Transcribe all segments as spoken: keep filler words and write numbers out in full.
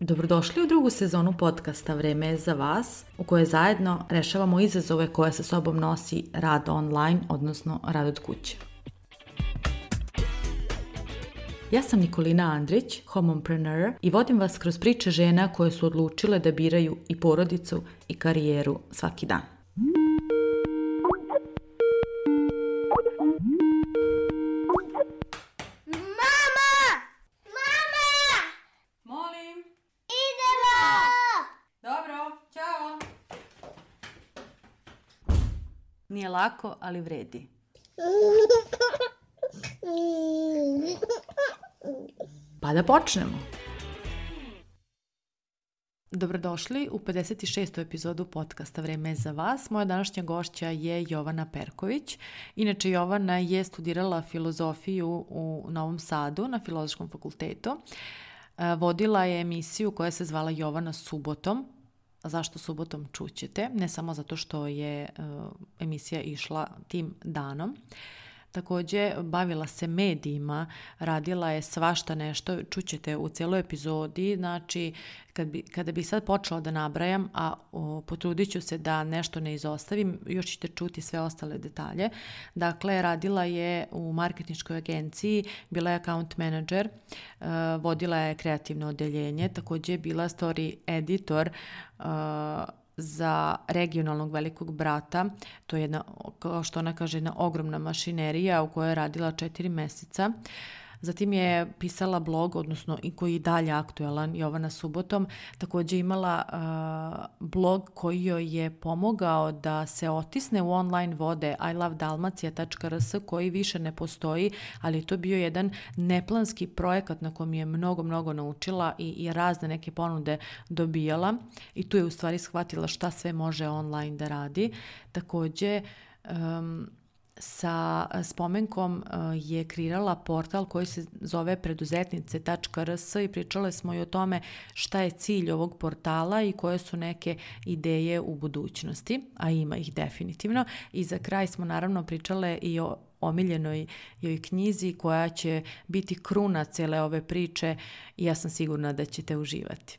Dobrodošli u drugu sezonu podcasta Vreme je za vas, u kojoj zajedno rešavamo izazove koje sa sobom nosi rad online, odnosno rad od kuće. Ja sam Nikolina Andrić, homompreneur, i vodim vas kroz priče žena koje su odlučile da biraju i porodicu i karijeru svaki dan. Nije lako, ali vredi. Pa da počnemo. Dobrodošli u pedeset šestu epizodu podcasta Vreme je za vas. Moja današnja gošća je Jovana Perković. Inače, Jovana je studirala filozofiju u Novom Sadu na Filozofskom fakultetu. Vodila je emisiju koja se zvala Jovana subotom. Zašto subotom čućete, ne samo zato što je uh, emisija išla tim danom. Također bavila se medijima, radila je svašta nešto, čućete u cijeloj epizodi, znači kad bi, kada bi sad počela da nabrajam, a o, potrudit ću se da nešto ne izostavim, još ćete čuti sve ostale detalje. Dakle, radila je u marketinškoj agenciji, bila je account manager, uh, vodila je kreativno odeljenje, također je bila story editor uh, za regionalnog velikog brata. To je jedna, kao što ona kaže, jedna ogromna mašinerija u kojoj je radila četiri mjeseca. Zatim je pisala blog, odnosno i koji je dalje aktuelan, Jovana subotom. Također imala uh, blog koji joj je pomogao da se otisne u online vode i love dalmacija tačka r s, koji više ne postoji, ali je to bio jedan neplanski projekat na kojem je mnogo, mnogo naučila i, i razne neke ponude dobijala. I tu je u stvari shvatila šta sve može online da radi. Također, um, sa spomenkom je kreirala portal koji se zove preduzetnice tačka r s i pričale smo i o tome šta je cilj ovog portala i koje su neke ideje u budućnosti, a ima ih definitivno. I za kraj smo naravno pričale i o omiljenoj joj knjizi koja će biti kruna cijele ove priče i ja sam sigurna da ćete uživati.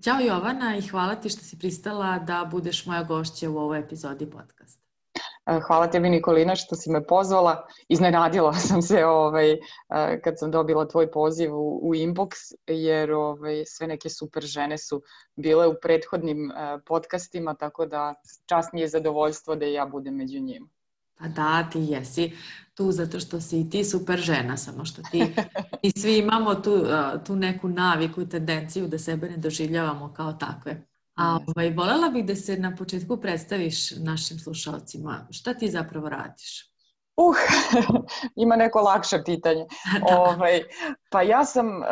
Ćao Jovana i hvala ti što si pristala da budeš moja gošća u ovoj epizodi podcasta. Hvala tebi Nikolina što si me pozvala. Iznenadila sam se ovaj, kad sam dobila tvoj poziv u, u inbox, jer ovaj, sve neke super žene su bile u prethodnim podcastima, tako da čast mi je zadovoljstvo da i ja budem među njima. Pa da, ti jesi tu zato što si ti super žena, samo što ti i svi imamo tu, tu neku naviku i tendenciju da sebe ne doživljavamo kao takve. A ovaj, voljela bih da se na početku predstaviš našim slušalcima. Šta ti zapravo radiš? Uh, ima neko lakše pitanje. ovaj, pa ja sam, uh,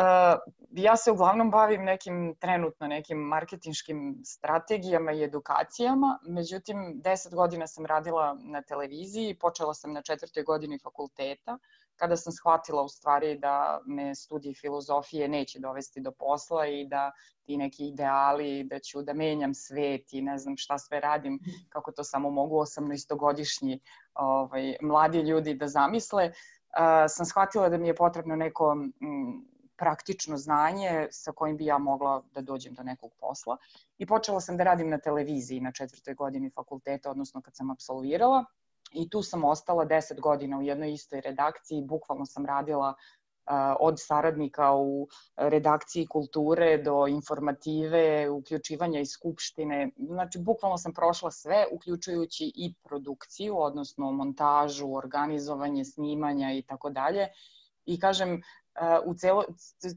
ja se uglavnom bavim nekim trenutno nekim marketinškim strategijama i edukacijama. Međutim, deset godina sam radila na televiziji, počela sam na četvrtoj godini fakulteta, kada sam shvatila u stvari da me studij filozofije neće dovesti do posla i da ti neki ideali, da ću da menjam svet i ne znam šta sve radim, kako to samo mogu osamnaestogodišnji ovaj, mladi ljudi da zamisle. Uh, sam shvatila da mi je potrebno neko m, praktično znanje sa kojim bi ja mogla da dođem do nekog posla. I počela sam da radim na televiziji na četvrtoj godini fakulteta, odnosno kad sam apsolvirala. I tu sam ostala deset godina u jednoj istoj redakciji. Bukvalno sam radila uh, od saradnika u redakciji kulture do informative, uključivanja iz skupštine. Znači, bukvalno sam prošla sve, uključujući i produkciju, odnosno montažu, organizovanje, snimanja i tako dalje. I kažem, uh, u celo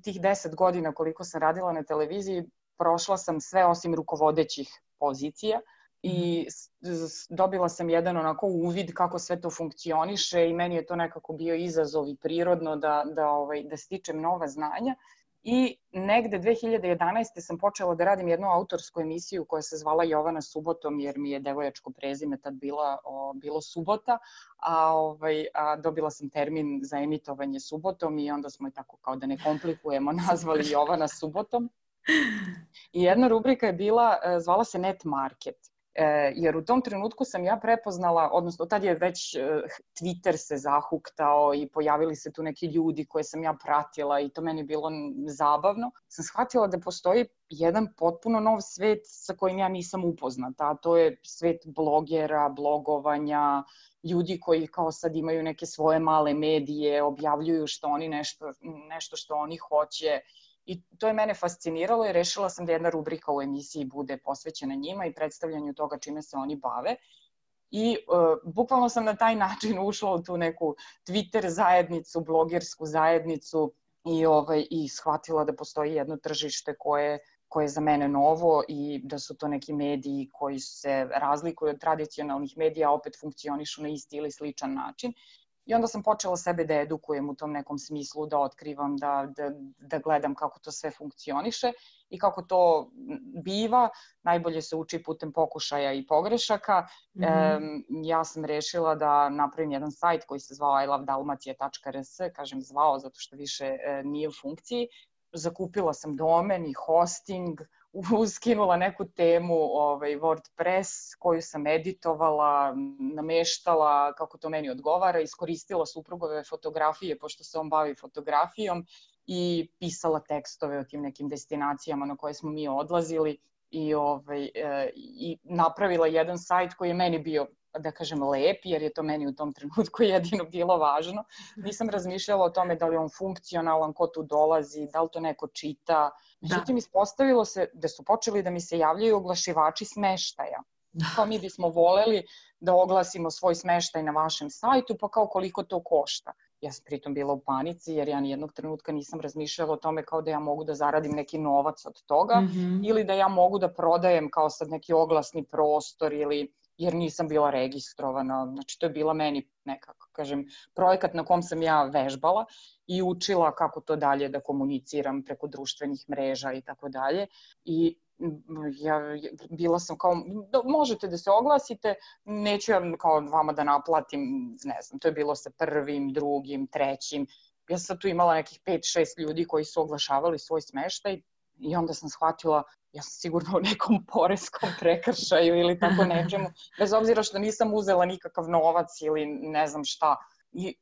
tih deset godina koliko sam radila na televiziji, prošla sam sve osim rukovodećih pozicija. I dobila sam jedan onako uvid kako sve to funkcioniše i meni je to nekako bio izazov i prirodno da, da, ovaj, da stičem nova znanja. I negde dve hiljade jedanaeste. sam počela da radim jednu autorsku emisiju koja se zvala Jovana subotom, jer mi je devojačko prezime tad bila, o, bilo subota, a, ovaj, a dobila sam termin za emitovanje subotom i onda smo je tako, kao da ne komplikujemo, nazvali Jovana subotom. I jedna rubrika je bila, zvala se Net Market. E, jer u tom trenutku sam ja prepoznala, odnosno tad je već e, Twitter se zahuktao i pojavili se tu neki ljudi koje sam ja pratila i to meni bilo zabavno. Sam shvatila da postoji jedan potpuno nov svet sa kojim ja nisam upoznata, a to je svet blogera, blogovanja, ljudi koji kao sad imaju neke svoje male medije, objavljuju što oni nešto, nešto što oni hoće. I to je mene fasciniralo i rešila sam da jedna rubrika u emisiji bude posvećena njima i predstavljanju toga čime se oni bave. I uh, bukvalno sam na taj način ušla u tu neku Twitter zajednicu, blogersku zajednicu i, ovaj, i shvatila da postoji jedno tržište koje, koje je za mene novo i da su to neki mediji koji se razlikuju od tradicionalnih medija, a opet funkcionišu na isti ili sličan način. I onda sam počela sebe da edukujem u tom nekom smislu, da otkrivam, da, da, da gledam kako to sve funkcioniše i kako to biva. Najbolje se uči putem pokušaja i pogrešaka. Mm-hmm. E, ja sam rešila da napravim jedan sajt koji se zvao i love dalmacija tačka r s, kažem zvao zato što više e, nije u funkciji. Zakupila sam domen i hosting, uskinula neku temu ovaj, WordPress koju sam editovala, nameštala kako to meni odgovara, iskoristila suprugove fotografije pošto se on bavi fotografijom i pisala tekstove o tim nekim destinacijama na koje smo mi odlazili i, ovaj, e, i napravila jedan sajt koji je meni bio, da kažem, lep, jer je to meni u tom trenutku jedino bilo važno. Nisam razmišljala o tome da li on funkcionalan, ko tu dolazi, da li to neko čita. Međutim, ispostavilo se da su počeli da mi se javljaju oglašivači smeštaja. Kao mi bismo voleli da oglasimo svoj smeštaj na vašem sajtu, pa kao koliko to košta. Ja sam pritom bila u panici jer ja nijednog trenutka nisam razmišljala o tome kao da ja mogu da zaradim neki novac od toga mm-hmm. ili da ja mogu da prodajem kao sad neki oglasni prostor ili jer nisam bila registrovana. Znači, to je bila meni nekako, kažem, projekat na kom sam ja vežbala i učila kako to dalje da komuniciram preko društvenih mreža i tako dalje. I ja bila sam kao, možete da se oglasite, neću ja kao vama da naplatim, ne znam, to je bilo sa prvim, drugim, trećim. Ja sam tu imala nekih pet šest ljudi koji su oglašavali svoj smeštaj i onda sam shvatila, ja sam sigurno u nekom poreskom prekršaju ili tako nečemu, bez obzira što nisam uzela nikakav novac ili ne znam šta. I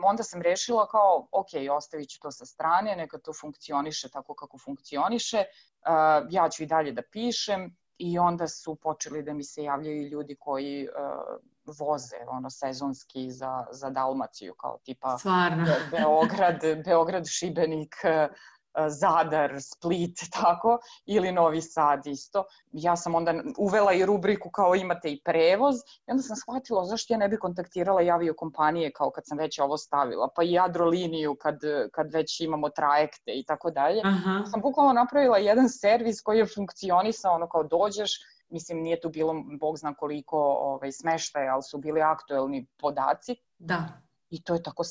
onda sam rešila kao, ok, ostavit ću to sa strane, neka to funkcioniše tako kako funkcioniše, uh, ja ću i dalje da pišem i onda su počeli da mi se javljaju ljudi koji uh, voze ono sezonski za, za Dalmaciju, kao tipa Be- Beograd, Beograd, Šibenik, Zadar, Split, tako, ili Novi Sad isto. Ja sam onda uvela i rubriku kao imate i prevoz i onda sam shvatila zašto ja ne bi kontaktirala i aviokompanije kao kad sam već ovo stavila, pa i Adroliniju kad, kad već imamo trajekte i tako dalje. Sam bukvalno napravila jedan servis koji je funkcionisao, ono kao dođeš, mislim nije tu bilo bog zna koliko ovaj, smeštaja, ali su bili aktuelni podaci. Da. I to je tako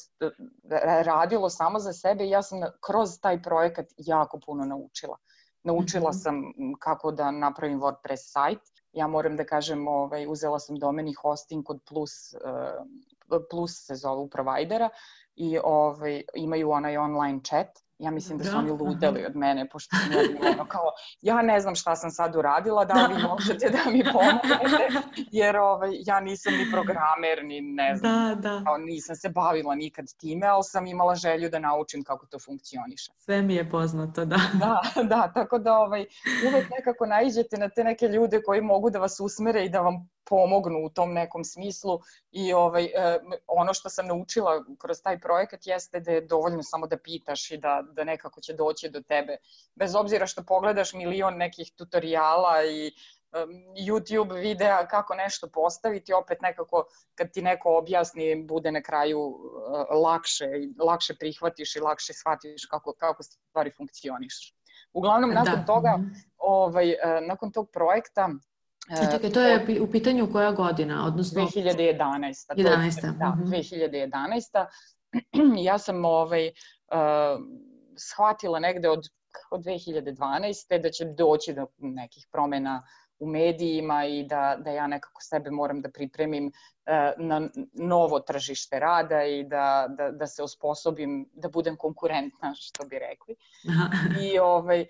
radilo samo za sebe i ja sam kroz taj projekat jako puno naučila. Naučila mm-hmm. sam kako da napravim WordPress sajt. Ja moram da kažem, ovaj, uzela sam domen i hosting kod Plus, uh, Plus se zovu provajdera i ovaj, imaju onaj online chat. Ja mislim da su oni ludeli od mene, pošto sam ja bila ono kao, ja ne znam šta sam sad uradila, da li vi možete da mi pomognete, jer ovaj, ja nisam ni programer, ni ne znam, da, da. Kao, nisam se bavila nikad time, ali sam imala želju da naučim kako to funkcioniše. Sve mi je poznato, da. Da, da, tako da ovaj, uvek nekako naiđete na te neke ljude koji mogu da vas usmere i da vam pomognu u tom nekom smislu i ovaj, eh, ono što sam naučila kroz taj projekat jeste da je dovoljno samo da pitaš i da, da nekako će doći do tebe. Bez obzira što pogledaš milion nekih tutoriala i um, YouTube videa kako nešto postaviti, opet nekako kad ti neko objasni bude na kraju uh, lakše, lakše prihvatiš i lakše shvatiš kako, kako stvari funkcioniš. Uglavnom, nakon da. toga, ovaj, uh, nakon tog projekta, E, čekaj, to je u pitanju koja godina? Odnosno... dve hiljade jedanaesta. jedanaesta. Da, mm-hmm. dve hiljade jedanaesta. Ja sam ovaj, uh, shvatila negde od, od dve hiljade dvanaeste da će doći do nekih promjena u medijima i da, da ja nekako sebe moram da pripremim na novo tržište rada i da, da, da se osposobim da budem konkurentna, što bi rekli. I ovaj,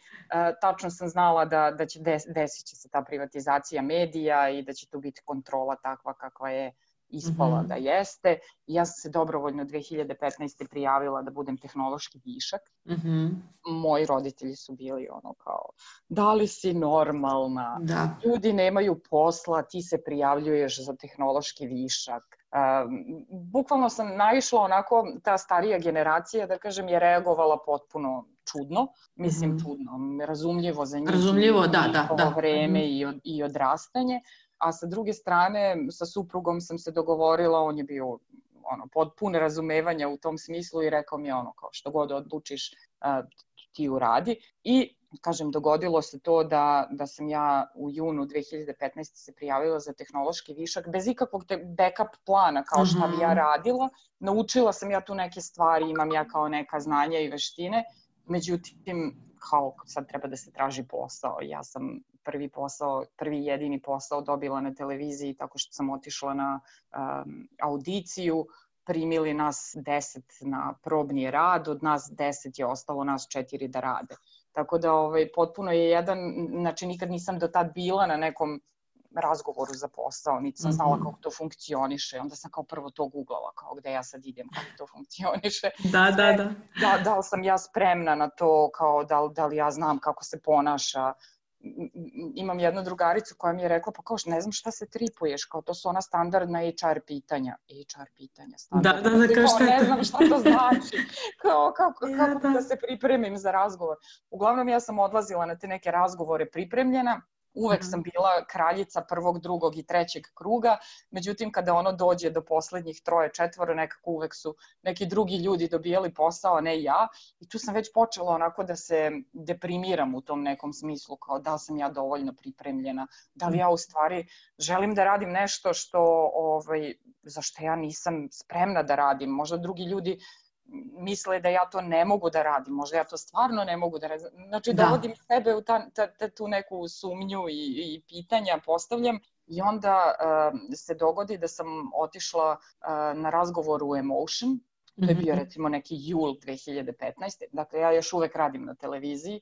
tačno sam znala da, da će des, desit će se ta privatizacija medija i da će tu biti kontrola takva kakva je ispala mm-hmm. da jeste. I ja sam se dobrovoljno dve hiljade petnaeste. prijavila da budem tehnološki višak. Mm-hmm. Moji roditelji su bili ono kao, da li si normalna? Da. Ljudi nemaju posla, ti se prijavljuješ za tehnološki višak. Um, bukvalno sam naišla onako, ta starija generacija, da kažem, je reagovala potpuno čudno. Mislim, mm-hmm. čudno, razumljivo za njih. Razumljivo, da, da, da. Vreme mm-hmm. i, od, i odrastanje. A sa druge strane, sa suprugom sam se dogovorila, on je bio ono, potpuno razumevanja u tom smislu i rekao mi ono, kao što god odlučiš, uh, ti uradi. I, kažem, dogodilo se to da, da sam ja u junu dve hiljade petnaeste. se prijavila za tehnološki višak, bez ikakvog te backup plana, kao šta bi ja radila. Naučila sam ja tu neke stvari, imam ja kao neka znanja i veštine, međutim, kao sad treba da se traži posao. Ja sam prvi posao, prvi jedini posao dobila na televiziji tako što sam otišla na um, audiciju, primili nas deset na probni rad, od nas deset je ostalo nas četiri da rade. Tako da ovaj, potpuno je jedan, znači nikad nisam do tad bila na nekom razgovoru za posao, niti sam znala kako to funkcioniše. Onda sam kao prvo to googlala, kao gde ja sad idem, kako to funkcioniše. Da, da, da. Da, da li sam ja spremna na to, kao da, da li ja znam kako se ponaša. Imam jednu drugaricu koja mi je rekla, pa kao ne znam šta se tripuješ, kao to su ona standardna H R pitanja. H R pitanja, standardna. Da, da, da, kao šta ne znam šta to znači, kao kako, ja, kako da. da se pripremim za razgovor. Uglavnom ja sam odlazila na te neke razgovore pripremljena. Uvek sam bila kraljica prvog, drugog i trećeg kruga, međutim kada ono dođe do poslednjih troje, četvoro, nekako uvek su neki drugi ljudi dobijali posao, a ne ja. I tu sam već počela onako da se deprimiram u tom nekom smislu, kao da li sam ja dovoljno pripremljena, da li ja u stvari želim da radim nešto što, ovaj, za što ja nisam spremna da radim. Možda drugi ljudi misle da ja to ne mogu da radim, možda ja to stvarno ne mogu da radim. Znači, da. dovodim sebe u ta, ta, ta, tu neku sumnju i, i pitanja postavljam i onda uh, se dogodi da sam otišla uh, na razgovor u Emotion, to je bio recimo neki jul dve hiljade petnaeste. Dakle, ja još uvek radim na televiziji.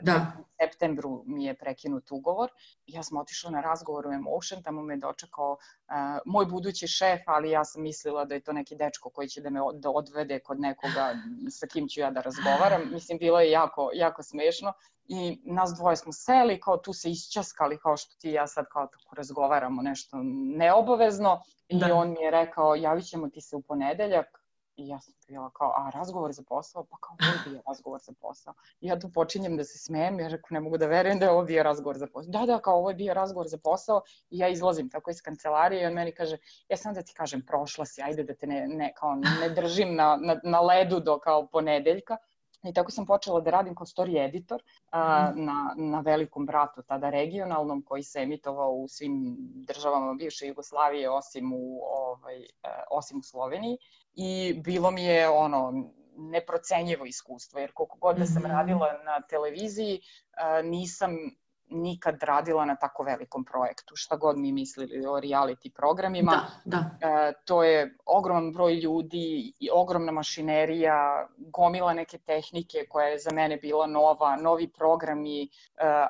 Da. U septembru mi je prekinut ugovor. Ja sam otišla na razgovor u Emotion, tamo me dočekao uh, moj budući šef, ali ja sam mislila da je to neki dečko koji će da me od, da odvede kod nekoga sa kim ću ja da razgovaram. Mislim, bilo je jako, jako smešno. I nas dvoje smo seli, kao tu se isčaskali, kao što ti i ja sad kao tako razgovaramo nešto neobavezno. I da. On mi je rekao, javit ćemo ti se u ponedeljak. I ja sam bila kao, a razgovor za posao? Pa kao, ovo je bio razgovor za posao. I ja tu počinjem da se smijem, ja rekao, ne mogu da verujem da je ovo bio razgovor za posao. Da, da, kao ovo je bio razgovor za posao i ja izlazim tako iz kancelarije i on meni kaže, ja sam da ti kažem, prošla si, ajde da te ne, ne, kao, ne držim na, na, na ledu do kao ponedeljka. I tako sam počela da radim kao story editor a, na, na Velikom bratu, tada regionalnom, koji se emitovao u svim državama bivše Jugoslavije, osim u, ovaj, osim u Sloveniji. I bilo mi je ono neprocenjivo iskustvo, jer koliko god da sam radila na televiziji, a, nisam nikad radila na tako velikom projektu, šta god mi mislili o reality programima. Da, da. E, to je ogroman broj ljudi i ogromna mašinerija, gomila neke tehnike koja je za mene bila nova, novi programi, e,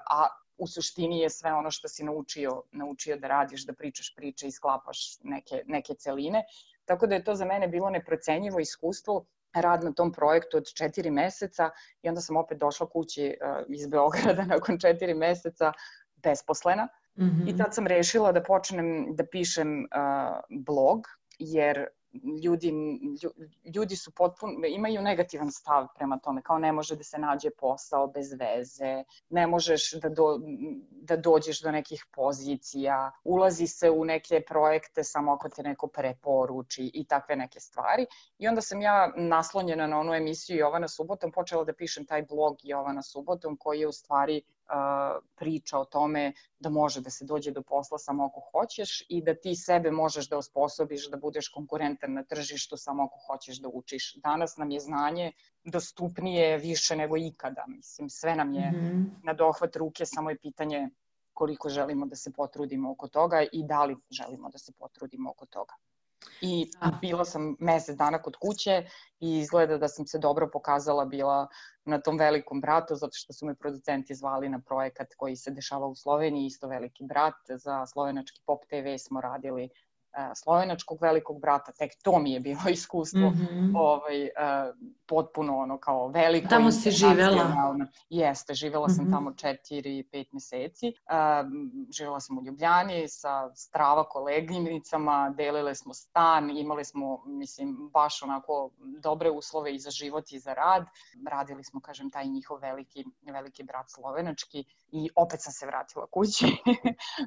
a u suštini je sve ono što si naučio, naučio da radiš, da pričaš priče i sklapaš neke, neke celine. Tako da je to za mene bilo neprocenjivo iskustvo, rad na tom projektu od četiri meseca i onda sam opet došla kući uh, iz Beograda nakon četiri meseca besposlena. Mm-hmm. I tad sam rešila da počnem da pišem uh, blog, jer ljudi, ljudi su potpuno, imaju negativan stav prema tome, kao ne može da se nađe posao bez veze, ne možeš da, do, da dođeš do nekih pozicija, ulazi se u neke projekte samo ako te neko preporuči i takve neke stvari. I onda sam ja naslonjena na onu emisiju Jovana subotom počela da pišem taj blog Jovana subotom koji je u stvari Uh, priča o tome da može da se dođe do posla samo ako hoćeš i da ti sebe možeš da osposobiš da budeš konkurentan na tržištu samo ako hoćeš da učiš. Danas nam je znanje dostupnije više nego ikada. Mislim, sve nam je mm-hmm. na dohvat ruke, samo je pitanje koliko želimo da se potrudimo oko toga i da li želimo da se potrudimo oko toga. I bila sam mesec dana kod kuće i izgleda da sam se dobro pokazala bila na tom velikom bratu, zato što su me producenti zvali na projekat koji se dešava u Sloveniji, isto Veliki brat. Za slovenački Pop te ve smo radili slovenačkog Velikog brata, tek to mi je bilo iskustvo mm-hmm. ovaj, uh, potpuno ono kao veliko. Tamo si živela? Jeste, živela sam mm-hmm. tamo četiri, pet meseci. Uh, živela sam u Ljubljani sa strava koleginicama, delile smo stan, imali smo, mislim, baš onako dobre uslove i za život i za rad. Radili smo, kažem, taj njihov veliki, veliki brat slovenački i opet sam se vratila kući.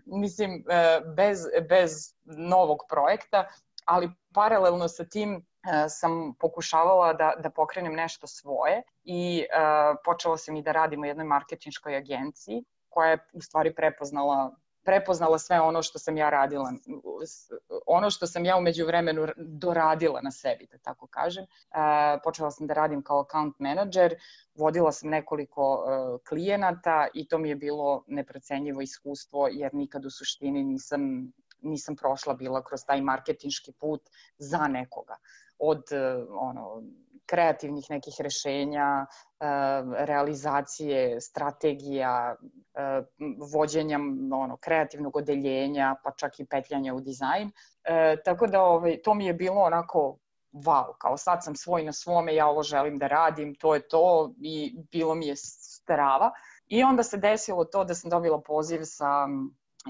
mislim, uh, bez, bez novog projekta, ali paralelno sa tim uh, sam pokušavala da, da pokrenem nešto svoje i uh, počela sam i da radim u jednoj marketinškoj agenciji koja je u stvari prepoznala prepoznala sve ono što sam ja radila, ono što sam ja u međuvremenu doradila na sebi, da tako kažem. Uh, počela sam da radim kao account manager, vodila sam nekoliko uh, klijenata i to mi je bilo neprocenjivo iskustvo jer nikad u suštini nisam nisam prošla bila kroz taj marketinški put za nekoga. Od ono, kreativnih nekih rešenja, realizacije, strategija, vođenja ono, kreativnog odeljenja, pa čak i petljanja u dizajn. Tako da ovaj, to mi je bilo onako wow, kao sad sam svoj na svome, ja ovo želim da radim, to je to i bilo mi je strava. I onda se desilo to da sam dobila poziv sa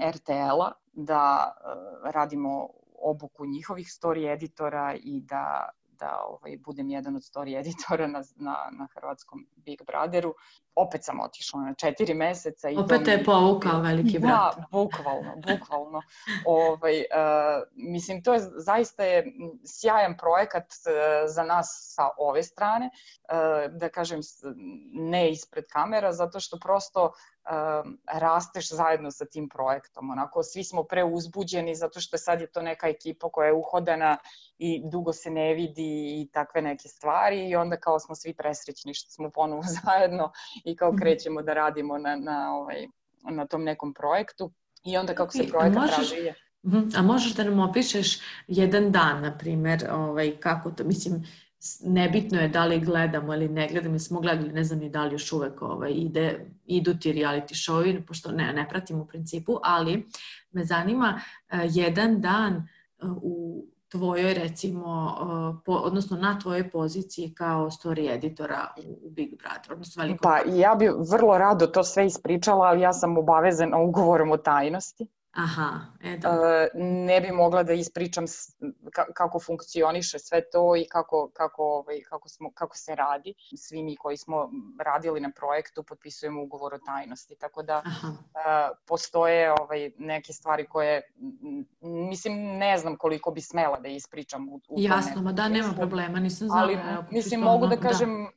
er te el-a da uh, radimo obuku njihovih story editora i da, da ovaj, budem jedan od story editora na, na, na hrvatskom Big Brotheru. Opet sam otišla na četiri meseca. I opet te je povukao Veliki brat. Da, bukvalno, bukvalno. ovaj, uh, mislim, to je zaista je sjajan projekat uh, za nas sa ove strane, uh, da kažem ne ispred kamera, zato što prosto Uh, rasteš zajedno sa tim projektom. Onako, svi smo preuzbuđeni zato što sad je to neka ekipa koja je uhodana i dugo se ne vidi i takve neke stvari i onda kao smo svi presrećni što smo ponovo zajedno i kao krećemo da radimo na, na, ovaj, na tom nekom projektu i onda kako se projekat možeš, razvije. A možeš da nam opišeš jedan dan, na primjer, ovaj, kako to, mislim, nebitno je da li gledamo ili ne gledamo, mi smo gledali, ne znam ni da li još uvek ovaj, ide, idu ti reality show, pošto ne, ne pratim u principu, ali me zanima uh, jedan dan uh, u tvojoj, recimo, uh, po, odnosno na tvojoj poziciji kao story editora u Big Brother, odnosno Velikom Pa Brother. Ja bi vrlo rado to sve ispričala, ali ja sam obavezana ugovorom o tajnosti. Aha, e da. Uh, ne bi mogla da ispričam ka- kako funkcioniše sve to i kako, kako, ovaj, kako, smo, kako se radi. Svi mi koji smo radili na projektu potpisujemo ugovor o tajnosti, tako da uh, postoje ovaj, neke stvari koje, mislim, ne znam koliko bi smela da ispričam. U, u Jasno, ma da, nema problema, nisam znala. Ali, evo, mislim, mogu da kažem da.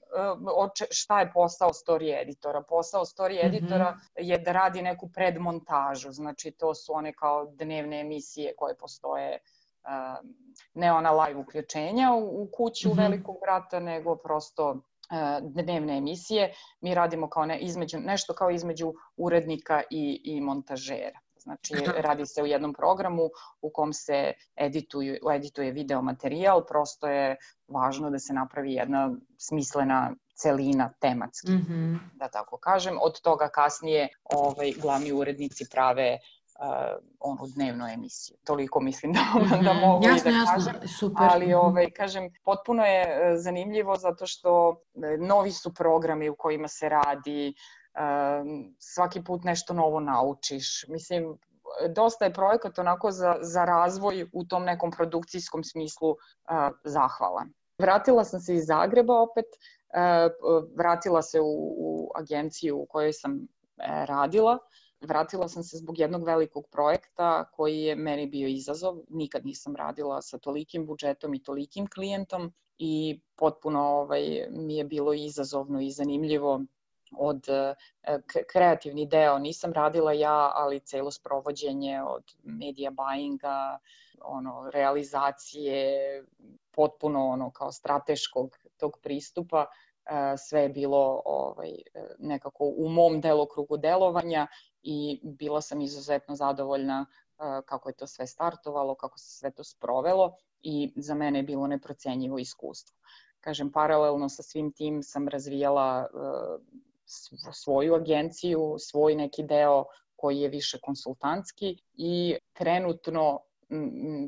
Šta je posao story editora. Posao story editora mm-hmm. je da radi neku predmontažu, znači to su one kao dnevne emisije koje postoje, uh, ne ona live uključenja u, u kuću mm-hmm. Velikog brata, nego prosto uh, dnevne emisije. Mi radimo kao ne, između, nešto kao između urednika i, i montažera. Znači, radi se u jednom programu u kom se edituju, edituje video materijal, prosto je važno da se napravi jedna smislena celina tematski, mm-hmm. da tako kažem. Od toga kasnije ovaj, glavni urednici prave uh, onu dnevnu emisiju. Toliko mislim da, mm-hmm. da mogu jasno, i da jasno. kažem. Super. Ali ovaj, kažem, potpuno je zanimljivo zato što novi su programi u kojima se radi, uh, svaki put nešto novo naučiš. Mislim, dosta je projekat onako za, za razvoj u tom nekom produkcijskom smislu uh, zahvalan. Vratila sam se iz Zagreba opet, uh, vratila se u, u agenciju u kojoj sam uh, radila. Vratila sam se zbog jednog velikog projekta koji je meni bio izazov. Nikad nisam radila sa tolikim budžetom i tolikim klijentom i potpuno ovaj, mi je bilo izazovno i zanimljivo. Od k- kreativni deo nisam radila ja, ali celo sprovođenje od media buyinga, ono, realizacije, potpuno ono kao strateškog tog pristupa sve je bilo ovaj, nekako u mom delokrugu delovanja i bila sam izuzetno zadovoljna kako je to sve startovalo, kako se sve to sprovelo i za mene je bilo neprocenjivo iskustvo. Kažem, paralelno sa svim tim sam razvijala svoju agenciju, svoj neki deo koji je više konsultantski i trenutno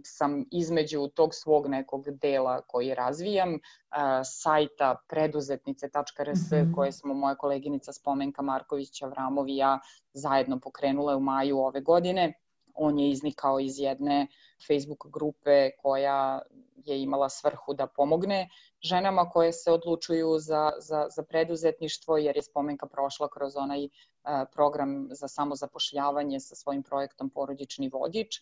sam između tog svog nekog dela koji razvijam, sajta preduzetnice tačka er es mm-hmm. koje smo moja koleginica Spomenka Marković-Avramov i ja zajedno pokrenule u maju ove godine. On je iznikao iz jedne Facebook grupe koja je imala svrhu da pomogne ženama koje se odlučuju za, za, za preduzetništvo, jer je Spomenka prošla kroz onaj program za samozapošljavanje sa svojim projektom Porodični vodič.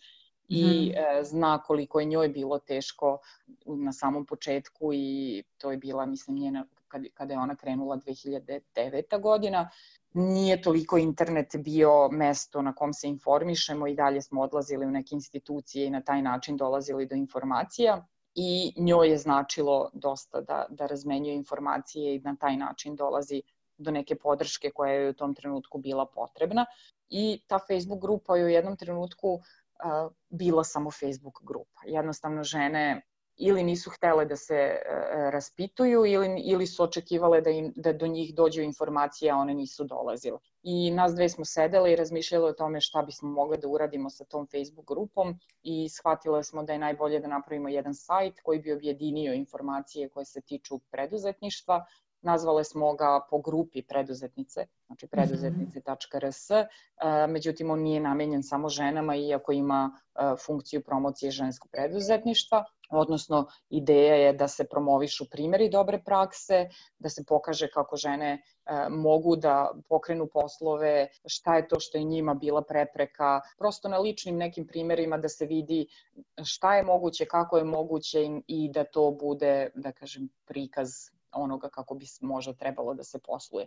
I e, zna koliko je njoj bilo teško na samom početku i to je bila, mislim, njena, kad, kada je ona krenula dve hiljade deveta godina. Nije toliko internet bio mesto na kom se informišemo i dalje smo odlazili u neke institucije i na taj način dolazili do informacija i njoj je značilo dosta da, da razmenjuje informacije i na taj način dolazi do neke podrške koja je u tom trenutku bila potrebna. I ta Facebook grupa je u jednom trenutku Uh, bila samo Facebook grupa. Jednostavno žene ili nisu htele da se uh, raspituju ili, ili su očekivale da, im, da do njih dođu informacije, a one nisu dolazile. I nas dve smo sedele i razmišljale o tome šta bismo mogli da uradimo sa tom Facebook grupom i shvatile smo da je najbolje da napravimo jedan sajt koji bi objedinio informacije koje se tiču preduzetništva. Nazvale smo ga po grupi preduzetnice, znači preduzetnice tačka er es, međutim on nije namenjen samo ženama iako ima funkciju promocije ženskog preduzetništva, odnosno ideja je da se promovišu primjeri dobre prakse, da se pokaže kako žene mogu da pokrenu poslove, šta je to što je njima bila prepreka, prosto na ličnim nekim primjerima da se vidi šta je moguće, kako je moguće i da to bude, da kažem, prikaz onoga kako bi možda trebalo da se posluje.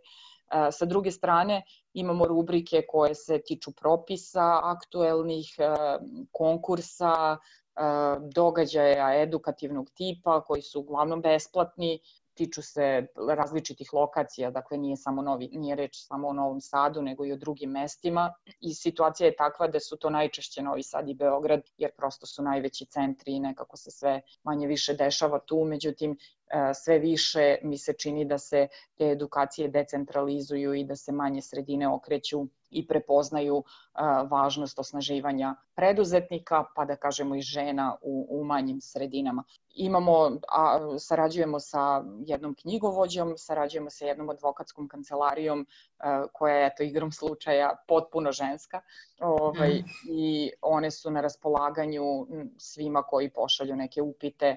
Sa druge strane, imamo rubrike koje se tiču propisa, aktuelnih konkursa, događaja edukativnog tipa koji su uglavnom besplatni, tiču se različitih lokacija, dakle nije samo novi, nije reč samo o Novom Sadu, nego i o drugim mestima i situacija je takva da su to najčešće Novi Sad i Beograd, jer prosto su najveći centri i nekako se sve manje više dešava tu, međutim sve više mi se čini da se te edukacije decentralizuju i da se manje sredine okreću i prepoznaju uh, važnost osnaživanja preduzetnika, pa da kažemo i žena u, u manjim sredinama. Imamo, a, sarađujemo sa jednom knjigovođom, sarađujemo sa jednom advokatskom kancelarijom uh, koja je, eto, igrom slučaja potpuno ženska ovaj, mm. i one su na raspolaganju svima koji pošalju neke upite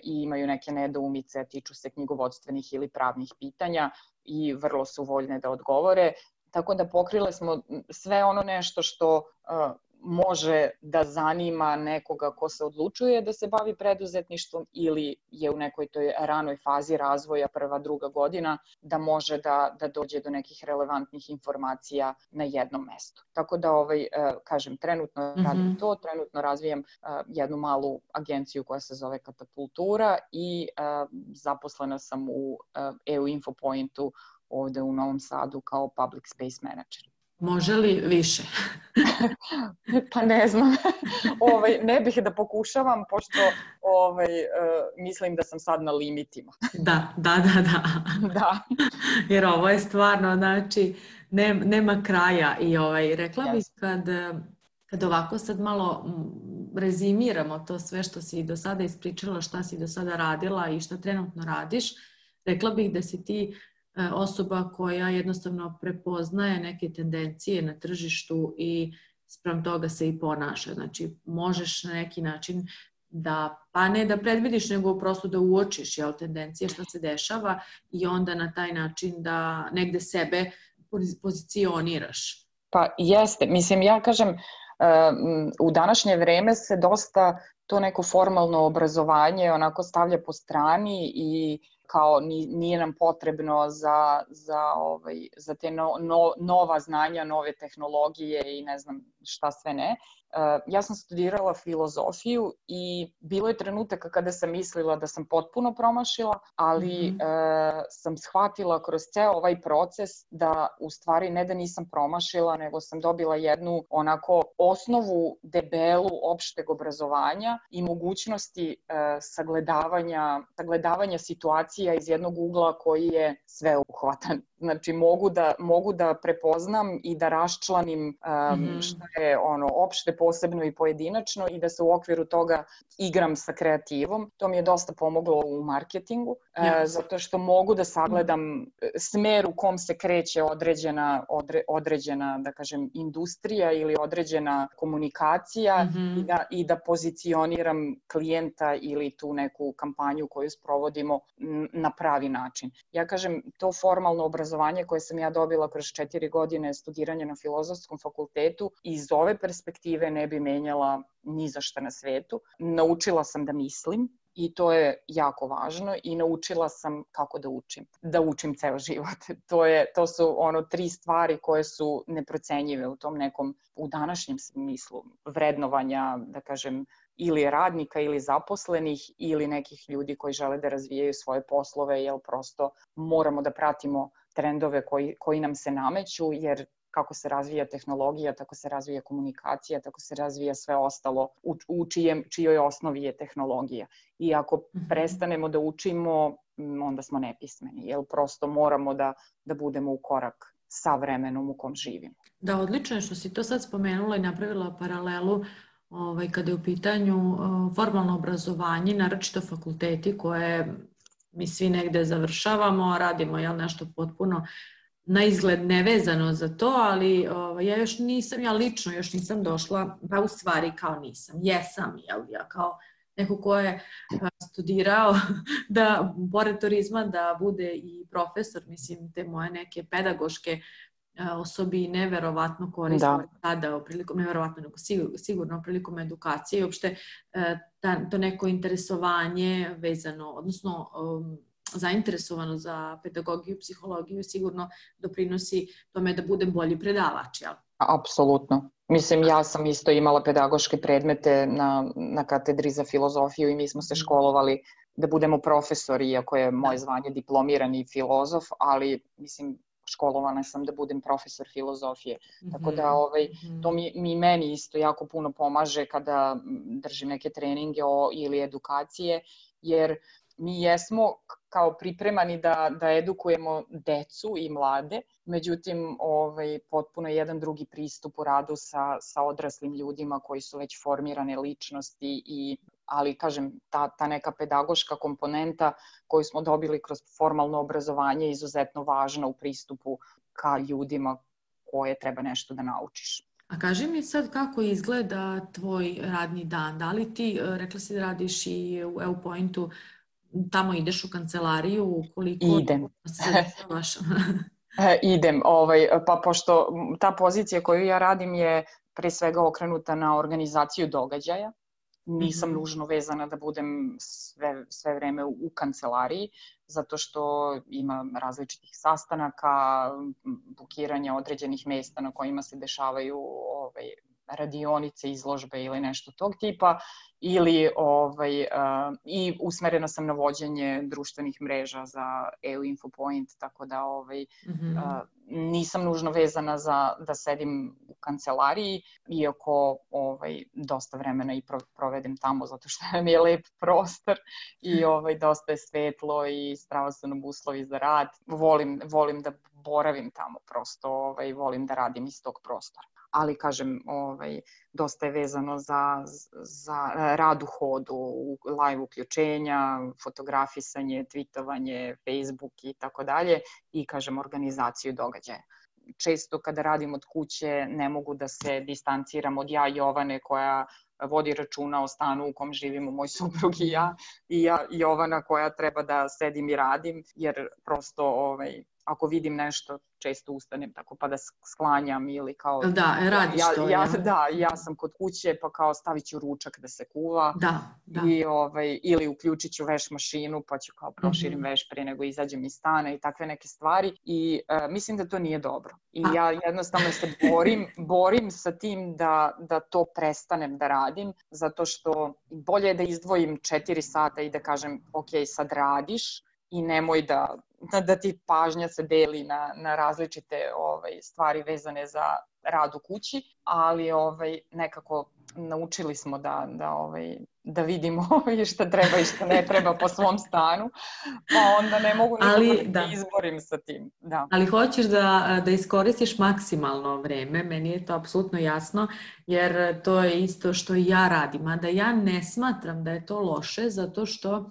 i imaju neke nedoumice, tiču se knjigovodstvenih ili pravnih pitanja i vrlo su voljne da odgovore. Tako da pokrile smo sve ono nešto što uh, može da zanima nekoga ko se odlučuje da se bavi preduzetništvom ili je u nekoj toj ranoj fazi razvoja, prva, druga godina, da može da, da dođe do nekih relevantnih informacija na jednom mestu. Tako da, ovaj, kažem, trenutno mm-hmm. radim to, trenutno razvijam jednu malu agenciju koja se zove Katapultura i zaposlena sam u E U Infopointu ovde u Novom Sadu kao public space manager. Može li više? Pa ne znam. ovaj, ne bih da pokušavam, pošto ovaj, uh, mislim da sam sad na limitima. Da, da, da, da. da. Jer ovo je stvarno, znači, ne, nema kraja. I ovaj, rekla yes. bih kad, kad ovako sad malo rezimiramo to sve što si do sada ispričala, šta si do sada radila i šta trenutno radiš, rekla bih da si ti osoba koja jednostavno prepoznaje neke tendencije na tržištu i spram toga se i ponaša. Znači, možeš na neki način da, pa ne da predvidiš, nego prosto da uočiš jel, tendencije što se dešava i onda na taj način da negde sebe pozicioniraš. Pa jeste. Mislim, ja kažem, u današnje vreme se dosta to neko formalno obrazovanje onako stavlja po strani i kao nije nam potrebno za, za, ovaj, za te no, no, nova znanja, nove tehnologije i ne znam šta sve ne. Ja sam studirala filozofiju i bilo je trenutaka kada sam mislila da sam potpuno promašila, ali mm-hmm. e, sam shvatila kroz ceo ovaj proces da u stvari ne da nisam promašila, nego sam dobila jednu onako osnovu debelu opšteg obrazovanja i mogućnosti e, sagledavanja, sagledavanja situacija iz jednog ugla koji je sveobuhvatan. Znači mogu da, mogu da prepoznam i da raščlanim um, mm-hmm. šta je ono opšte, posebno i pojedinačno i da se u okviru toga igram sa kreativom. To mi je dosta pomoglo u marketingu, yes. uh, zato što mogu da sagledam smer u kom se kreće određena, odre, određena da kažem, industrija ili određena komunikacija mm-hmm. i, da, i da pozicioniram klijenta ili tu neku kampanju koju sprovodimo na pravi način. Ja kažem, to formalno obrazovanje obrazovanje koje sam ja dobila kroz četiri godine studiranja na Filozofskom fakultetu iz ove perspektive ne bi menjala ni za šta na svetu. Naučila sam da mislim i to je jako važno i naučila sam kako da učim. Da učim ceo život. To, je, to su ono tri stvari koje su neprocenjive u tom nekom, u današnjem smislu vrednovanja, da kažem, ili radnika ili zaposlenih ili nekih ljudi koji žele da razvijaju svoje poslove, jer prosto moramo da pratimo trendove koji, koji nam se nameću, jer kako se razvija tehnologija, tako se razvija komunikacija, tako se razvija sve ostalo u, u čijem, čijoj osnovi je tehnologija. I ako mm-hmm. prestanemo da učimo, onda smo nepismeni, jer prosto moramo da, da budemo u korak sa vremenom u kom živimo. Da, odlično je što si to sad spomenula i napravila paralelu ovaj, kada je u pitanju uh, formalno obrazovanje, naročito fakulteti koje mi svi negde završavamo, radimo jel, nešto potpuno na izgled nevezano za to, ali ovaj, ja još nisam, ja lično još nisam došla, pa u stvari kao nisam, jesam, jel, ja kao neko ko je studirao da, pored turizma, da bude i profesor, mislim, te moje neke pedagoške osobine verovatno koristimo tada prilikom, ne verovatno, nego sigurno, sigurno prilikom edukacije i uopšte ta, to neko interesovanje vezano, odnosno um, zainteresovano za pedagogiju, psihologiju sigurno doprinosi tome da budem bolji predavač, jel? Apsolutno. Mislim, ja sam isto imala pedagoške predmete na, na katedri za filozofiju i mi smo se školovali da budemo profesori, iako je moje zvanje diplomirani filozof, ali mislim, školovana sam da budem profesor filozofije. Mm-hmm. Tako da ovaj, to mi, mi meni isto jako puno pomaže kada držim neke treninge o, ili edukacije, jer mi jesmo kao pripremani da, da edukujemo decu i mlade, međutim ovaj, potpuno jedan drugi pristup u radu sa, sa odraslim ljudima koji su već formirane ličnosti, i, ali kažem, ta, ta neka pedagoška komponenta koju smo dobili kroz formalno obrazovanje je izuzetno važna u pristupu ka ljudima koje treba nešto da naučiš. A kaži mi sad kako izgleda tvoj radni dan, da li ti, rekla si da radiš i u EUPointu, tamo ideš u kancelariju, koliko Idem. se dešavaš? Idem, ovaj, pa pošto ta pozicija koju ja radim je pre svega okrenuta na organizaciju događaja, nisam mm-hmm. nužno vezana da budem sve, sve vreme u, u kancelariji, zato što ima različitih sastanaka, bukiranja određenih mesta na kojima se dešavaju ovaj, radionice, izložbe ili nešto tog tipa, ili ovaj, uh, i usmerena sam na vođenje društvenih mreža za EUInfopoint, tako da ovaj, mm-hmm. uh, nisam nužno vezana za da sedim u kancelariji, iako ovaj, dosta vremena i provedem tamo, zato što mi je lep prostor i ovaj, dosta je svetlo i strava su nam uslovi za rad. Volim, volim da boravim tamo, prosto ovaj, volim da radim iz tog prostora. Ali, kažem, ovaj, dosta je vezano za, za rad u hodu, live uključenja, fotografisanje, tweetovanje, Facebook i tako dalje i, kažem, organizaciju događaja. Često kada radim od kuće ne mogu da se distanciram od ja Jovane koja vodi računa o stanu u kom živimo moj suprug i ja, i ja Jovana koja treba da sedim i radim, jer prosto ovaj, ako vidim nešto, često ustanem tako pa da sklanjam ili kao... Da, radiš ja, to. Ja, ja, da, ja sam kod kuće pa kao stavit ću ručak da se kuva. Da, da. I, ovaj, ili uključit ću veš mašinu pa ću kao proširim mm-hmm. veš pre nego izađem iz stana i takve neke stvari. I uh, mislim da to nije dobro. I ja jednostavno se borim, borim sa tim da, da to prestanem da radim, zato što bolje je da izdvojim četiri sata i da kažem, ok, sad radiš i nemoj da, da ti pažnja se deli na, na različite ovaj, stvari vezane za rad u kući, ali ovaj, nekako naučili smo da, da, ovaj, da vidimo šta treba i šta ne treba po svom stanu, pa onda ne mogu nikako ali, da, da izborim sa tim. Da. Ali hoćeš da, da iskoristiš maksimalno vreme, meni je to apsolutno jasno, jer to je isto što i ja radim, a da ja ne smatram da je to loše, zato što,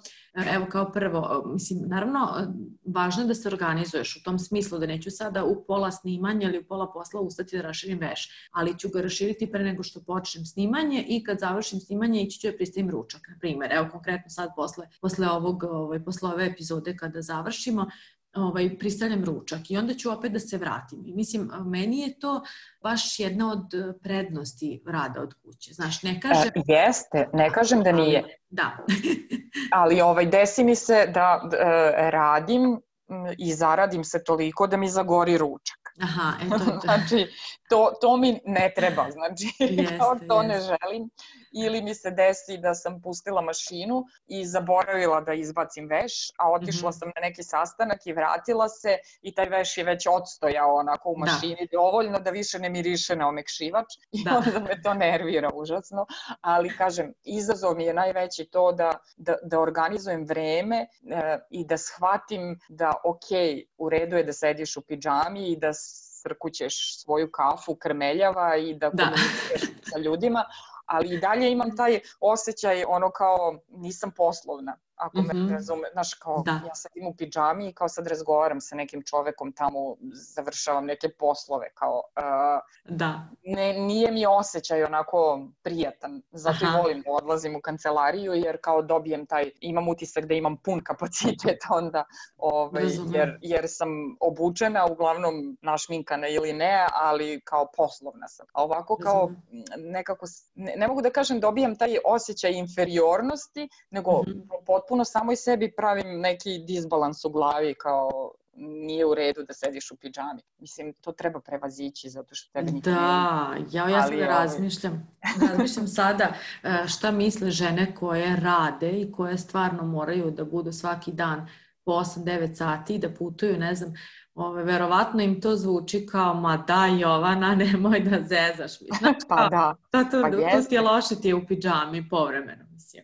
evo kao prvo, mislim, naravno, važno je da se organizuješ u tom smislu, da neću sada u pola snimanja ili u pola posla ustati da raširim veš, ali ću ga raširiti pre nego što počnem snimanje i kad završim snimanje ići ću da pristavim ručak, na primjer. Evo konkretno sad posle, posle, ovog, ovaj, posle ove epizode kada završimo, ovaj, pristavljam ručak i onda ću opet da se vratim. I mislim, meni je to baš jedna od prednosti rada od kuće. Znaš, ne kažem... E, jeste, ne kažem da nije. Ali, da. Ali ovaj, desi mi se da e, radim i zaradim se toliko da mi zagori ručak. Aha, eto. Znači, to, to mi ne treba, znači, jeste, kao to jeste. Ne želim. Ili mi se desi da sam pustila mašinu i zaboravila da izbacim veš, a otišla mm-hmm. sam na neki sastanak i vratila se i taj veš je već odstojao onako u mašini da. Dovoljno da više ne miriše na omekšivač i da. Onda me to nervira užasno. Ali kažem, izazov mi je najveći to da, da, da organizujem vreme e, i da shvatim da ok, u redu je da sediš u pidžami i da srkućeš svoju kafu krmeljava i da komuniciraš sa ljudima, ali i dalje imam taj osjećaj ono kao nisam poslovna, ako me mm-hmm. razume, znaš kao da. Ja sedim u pidžami i kao sad razgovaram sa nekim čovekom tamo, završavam neke poslove, kao uh, da. Ne, nije mi osjećaj onako prijatan, zato Aha. i volim da odlazim u kancelariju jer kao dobijem taj, imam utisak da imam pun kapacitet onda, ovaj, jer, jer sam obučena, uglavnom našminkana ili ne, ali kao poslovna sam. A ovako kao nekako, ne, ne mogu da kažem dobijam taj osjećaj inferiornosti, nego mm-hmm. potpuno samoj sebi pravim neki disbalans u glavi kao nije u redu da sediš u pidžami. Mislim, to treba prevazići zato što tebe nikad da, ja, ja sada razmišljam. Razmišljam sada šta misle žene koje rade i koje stvarno moraju da budu svaki dan po osam devet sati i da putuju, ne znam, ove, verovatno im to zvuči kao, ma da Jovana, nemoj da zezaš. Znaš, pa da. To, to, pa to ti je loše, ti je u pidžami povremeno, mislim.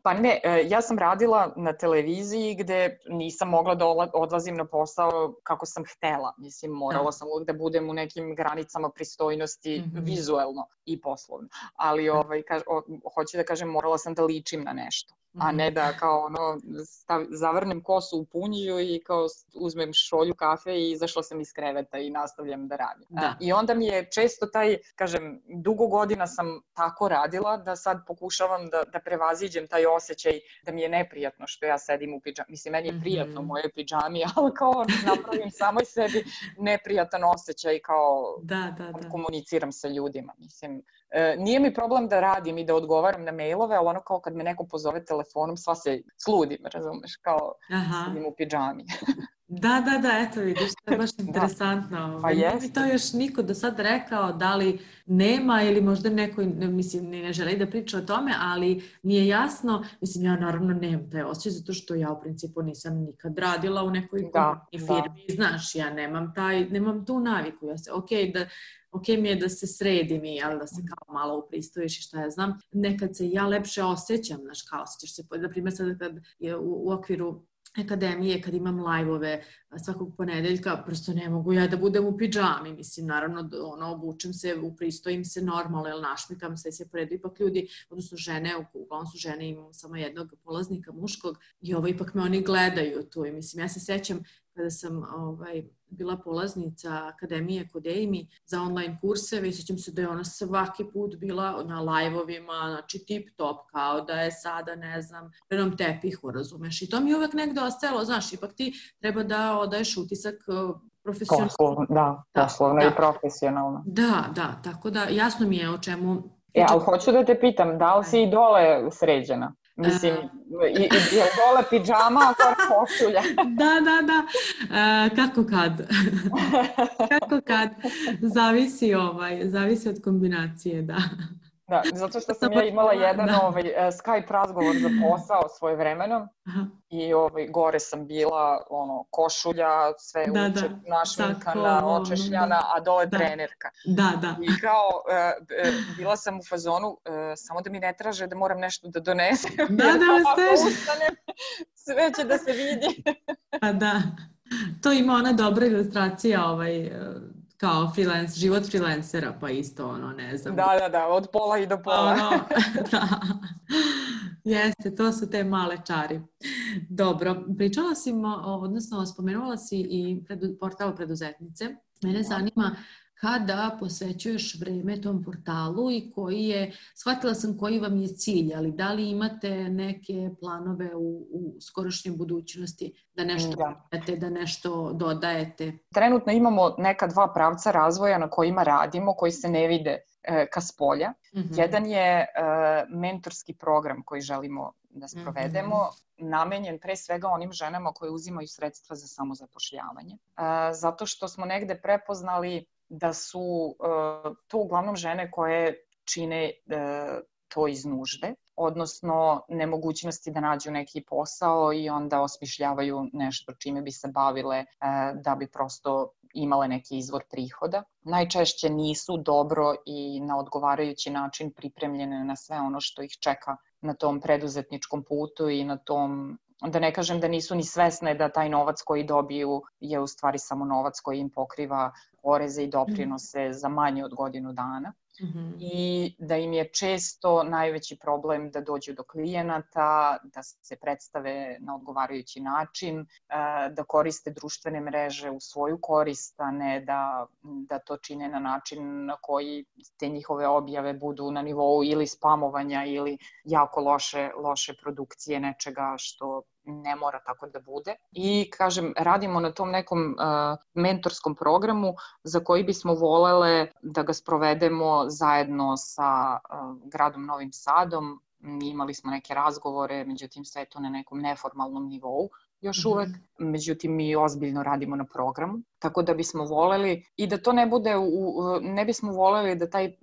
Pa ne, ja sam radila na televiziji gde nisam mogla da odlazim na posao kako sam htela. Mislim, morala sam uvijek da budem u nekim granicama pristojnosti mm-hmm. vizuelno i poslovno. Ali ovaj, kaž, o, hoću da kažem, morala sam da ličim na nešto. A ne da kao ono, stav, zavrnem kosu u punjiju i kao uzmem šolju kafe i izašla sam iz kreveta i nastavljam da radim. Da. I onda mi je često taj, kažem, dugo godina sam tako radila da sad pokušavam da, da prevaziđem taj osjećaj da mi je neprijatno što ja sedim u pidžami. Mislim, meni je prijatno u mojoj pidžami, ali kao napravim samoj sebi neprijatan osjećaj kao da, da, da. komuniciram sa ljudima. Mislim, e, nije mi problem da radim i da odgovaram na mailove, ali ono kao kad me neko pozove telefonom, sva se sludim, razumeš, kao Aha. sedim u pidžami. Da, da, da, eto vidiš, to je baš interesantno. Pa nije mi to još niko do sad rekao, da li nema ili možda neko, mislim, ne želi da priča o tome, ali mi je jasno, mislim, ja naravno nemam taj osjećaj, zato što ja u principu nisam nikad radila u nekoj da, firmi, da. Znaš, ja nemam taj, nemam tu naviku, ja se, ok, da, ok mi je da se sredim i ali da se kao malo upristojiš i šta ja znam, nekad se ja lepše osjećam, znaš, kao osjećaš se, na primjer sad kad je u, u okviru akademije, kad imam live-ove svakog ponedeljka, prosto ne mogu ja da budem u pidžami, mislim, naravno, ono, obučem se, upristojim se normalno, jel našmikam se i se poredu ipak ljudi, odnosno žene, uglavnom su žene, imam samo jednog polaznika muškog i ovo ipak me oni gledaju tu i mislim, ja se sećam kada sam ovaj, bila polaznica akademije kod Amy za online kurseve i sjećam se da je ona svaki put bila na live-ovima, znači tip top, kao da je sada, ne znam, na tepihu, razumeš. I to mi je uvek negde ostajalo, znaš, ipak ti treba da odaješ utisak profesionalno. Poslovno, da, poslovno da, i da. Profesionalno. Da, da, tako da jasno mi je o čemu... E, ali hoću da te pitam, da li si i dole sređena? Mislim, i, i je dole pidžama, a gore košulja. Da, da, da. E, kako kad? Kako kad? Zavisi, ovaj, zavisi od kombinacije, da. Da, zato što sam ja imala jedan da. ovaj, Skype razgovor za posao svoje vremeno. Aha. I ovaj, gore sam bila ono, košulja, sve da, uče, da. našminkana, Sako, očešljana, da. a dole da. trenerka. Da, da. I kao, uh, bila sam u fazonu, uh, samo da mi ne traže da moram nešto da donesem. Da, da, ako ustanem, sve će da se vidi. Pa da, to ima ona dobra ilustracija, ovaj, kao freelance, život freelancera, pa isto ono, ne znam. Da, da, da, od pola i do pola. Ono, da. Jeste, to su te male čari. Dobro, pričala si, odnosno spomenula si i predu, portal preduzetnice. Mene zanima kada posvećuješ vreme tom portalu i koji je, shvatila sam koji vam je cilj, ali da li imate neke planove u, u skorošnjoj budućnosti da nešto dodajete, da nešto dodajete? Trenutno imamo neka dva pravca razvoja na kojima radimo, koji se ne vide e, ka spolja. Mm-hmm. Jedan je e, mentorski program koji želimo da sprovedemo, mm-hmm. namenjen pre svega onim ženama koje uzimaju sredstva za samozapošljavanje. E, zato što smo negde prepoznali da su uh, to uglavnom žene koje čine uh, to iz nužde, odnosno nemogućnosti da nađu neki posao i onda osmišljavaju nešto čime bi se bavile uh, da bi prosto imale neki izvor prihoda. Najčešće nisu dobro i na odgovarajući način pripremljene na sve ono što ih čeka na tom preduzetničkom putu i na tom, da ne kažem da nisu ni svesne da taj novac koji dobiju je u stvari samo novac koji im pokriva poreze i doprinose za manje od godinu dana. Mm-hmm. I da im je često najveći problem da dođu do klijenata, da se predstave na odgovarajući način, da koriste društvene mreže u svoju korist, a ne da, da to čine na način na koji te njihove objave budu na nivou ili spamovanja ili jako loše, loše produkcije nečega što ne mora tako da bude. I, kažem, radimo na tom nekom uh, mentorskom programu za koji bismo volele da ga sprovedemo zajedno sa uh, gradom Novim Sadom. Imali smo neke razgovore, međutim sve to na nekom neformalnom nivou još uvek. Mm-hmm. Međutim, mi ozbiljno radimo na programu. Tako da bismo voleli i da to ne bude, u, ne bismo voleli da taj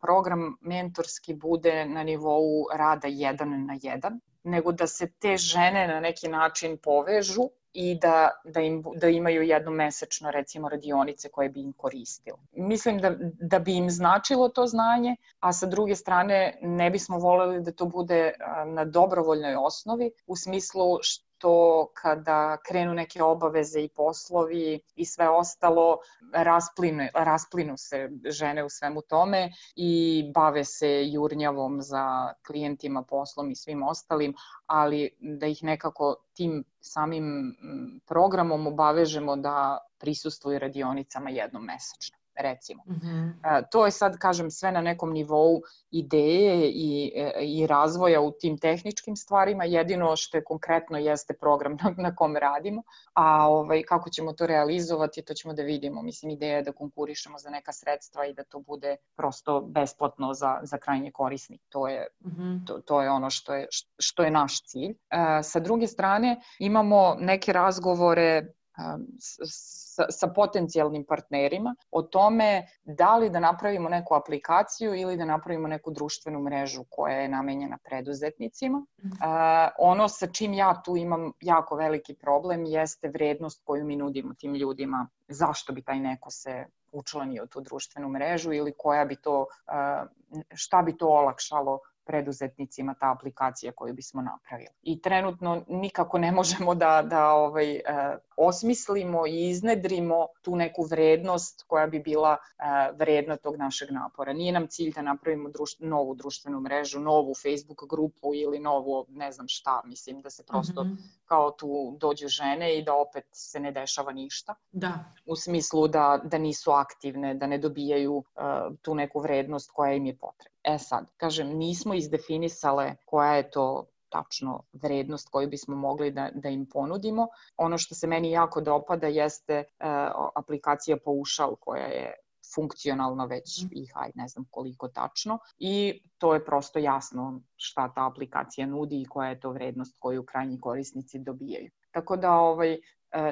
program mentorski bude na nivou rada jedan na jedan, nego da se te žene na neki način povežu i da, da, im, da imaju jednomesečno, recimo, radionice koje bi im koristile. Mislim da, da bi im značilo to znanje, a sa druge strane ne bismo voleli da to bude na dobrovoljnoj osnovi, u smislu što kada krenu neke obaveze i poslovi i sve ostalo, rasplinu, rasplinu se žene u svemu tome i bave se jurnjavom za klijentima, poslom i svim ostalim, ali da ih nekako tim samim programom obavežemo da prisustvuju radionicama jednom mesečno, recimo. Mm-hmm. To je sad, kažem, sve na nekom nivou ideje i, i razvoja u tim tehničkim stvarima. Jedino što je konkretno jeste program na, na kom radimo, a ovaj, kako ćemo to realizovati, to ćemo da vidimo. Mislim, ideja je da konkurišemo za neka sredstva i da to bude prosto besplatno za, za krajnje korisnik. To je, mm-hmm. to, to je ono što je, što je naš cilj. E, sa druge strane, imamo neke razgovore Sa, sa potencijalnim partnerima o tome da li da napravimo neku aplikaciju ili da napravimo neku društvenu mrežu koja je namenjena preduzetnicima. Uh, ono sa čim ja tu imam jako veliki problem jeste vrednost koju mi nudimo tim ljudima. Zašto bi taj neko se učlanio u tu društvenu mrežu ili koja bi to, uh, šta bi to olakšalo preduzetnicima ta aplikacija koju bismo napravili. I trenutno nikako ne možemo da, da ovaj, e, osmislimo i iznedrimo tu neku vrednost koja bi bila e, vredna tog našeg napora. Nije nam cilj da napravimo društ, novu društvenu mrežu, novu Facebook grupu ili novu ne znam šta. Mislim da se prosto mm-hmm. kao tu dođu žene i da opet se ne dešava ništa. Da. U smislu da, da nisu aktivne, da ne dobijaju uh, tu neku vrednost koja im je potrebna. E sad, kažem, nismo izdefinisale koja je to tačno vrednost koju bismo mogli da, da im ponudimo. Ono što se meni jako dopada jeste uh, aplikacija Paušal koja je funkcionalno, već ih, aj ne znam koliko tačno. I to je prosto jasno šta ta aplikacija nudi i koja je to vrednost koju krajnji korisnici dobijaju. Tako da ovaj,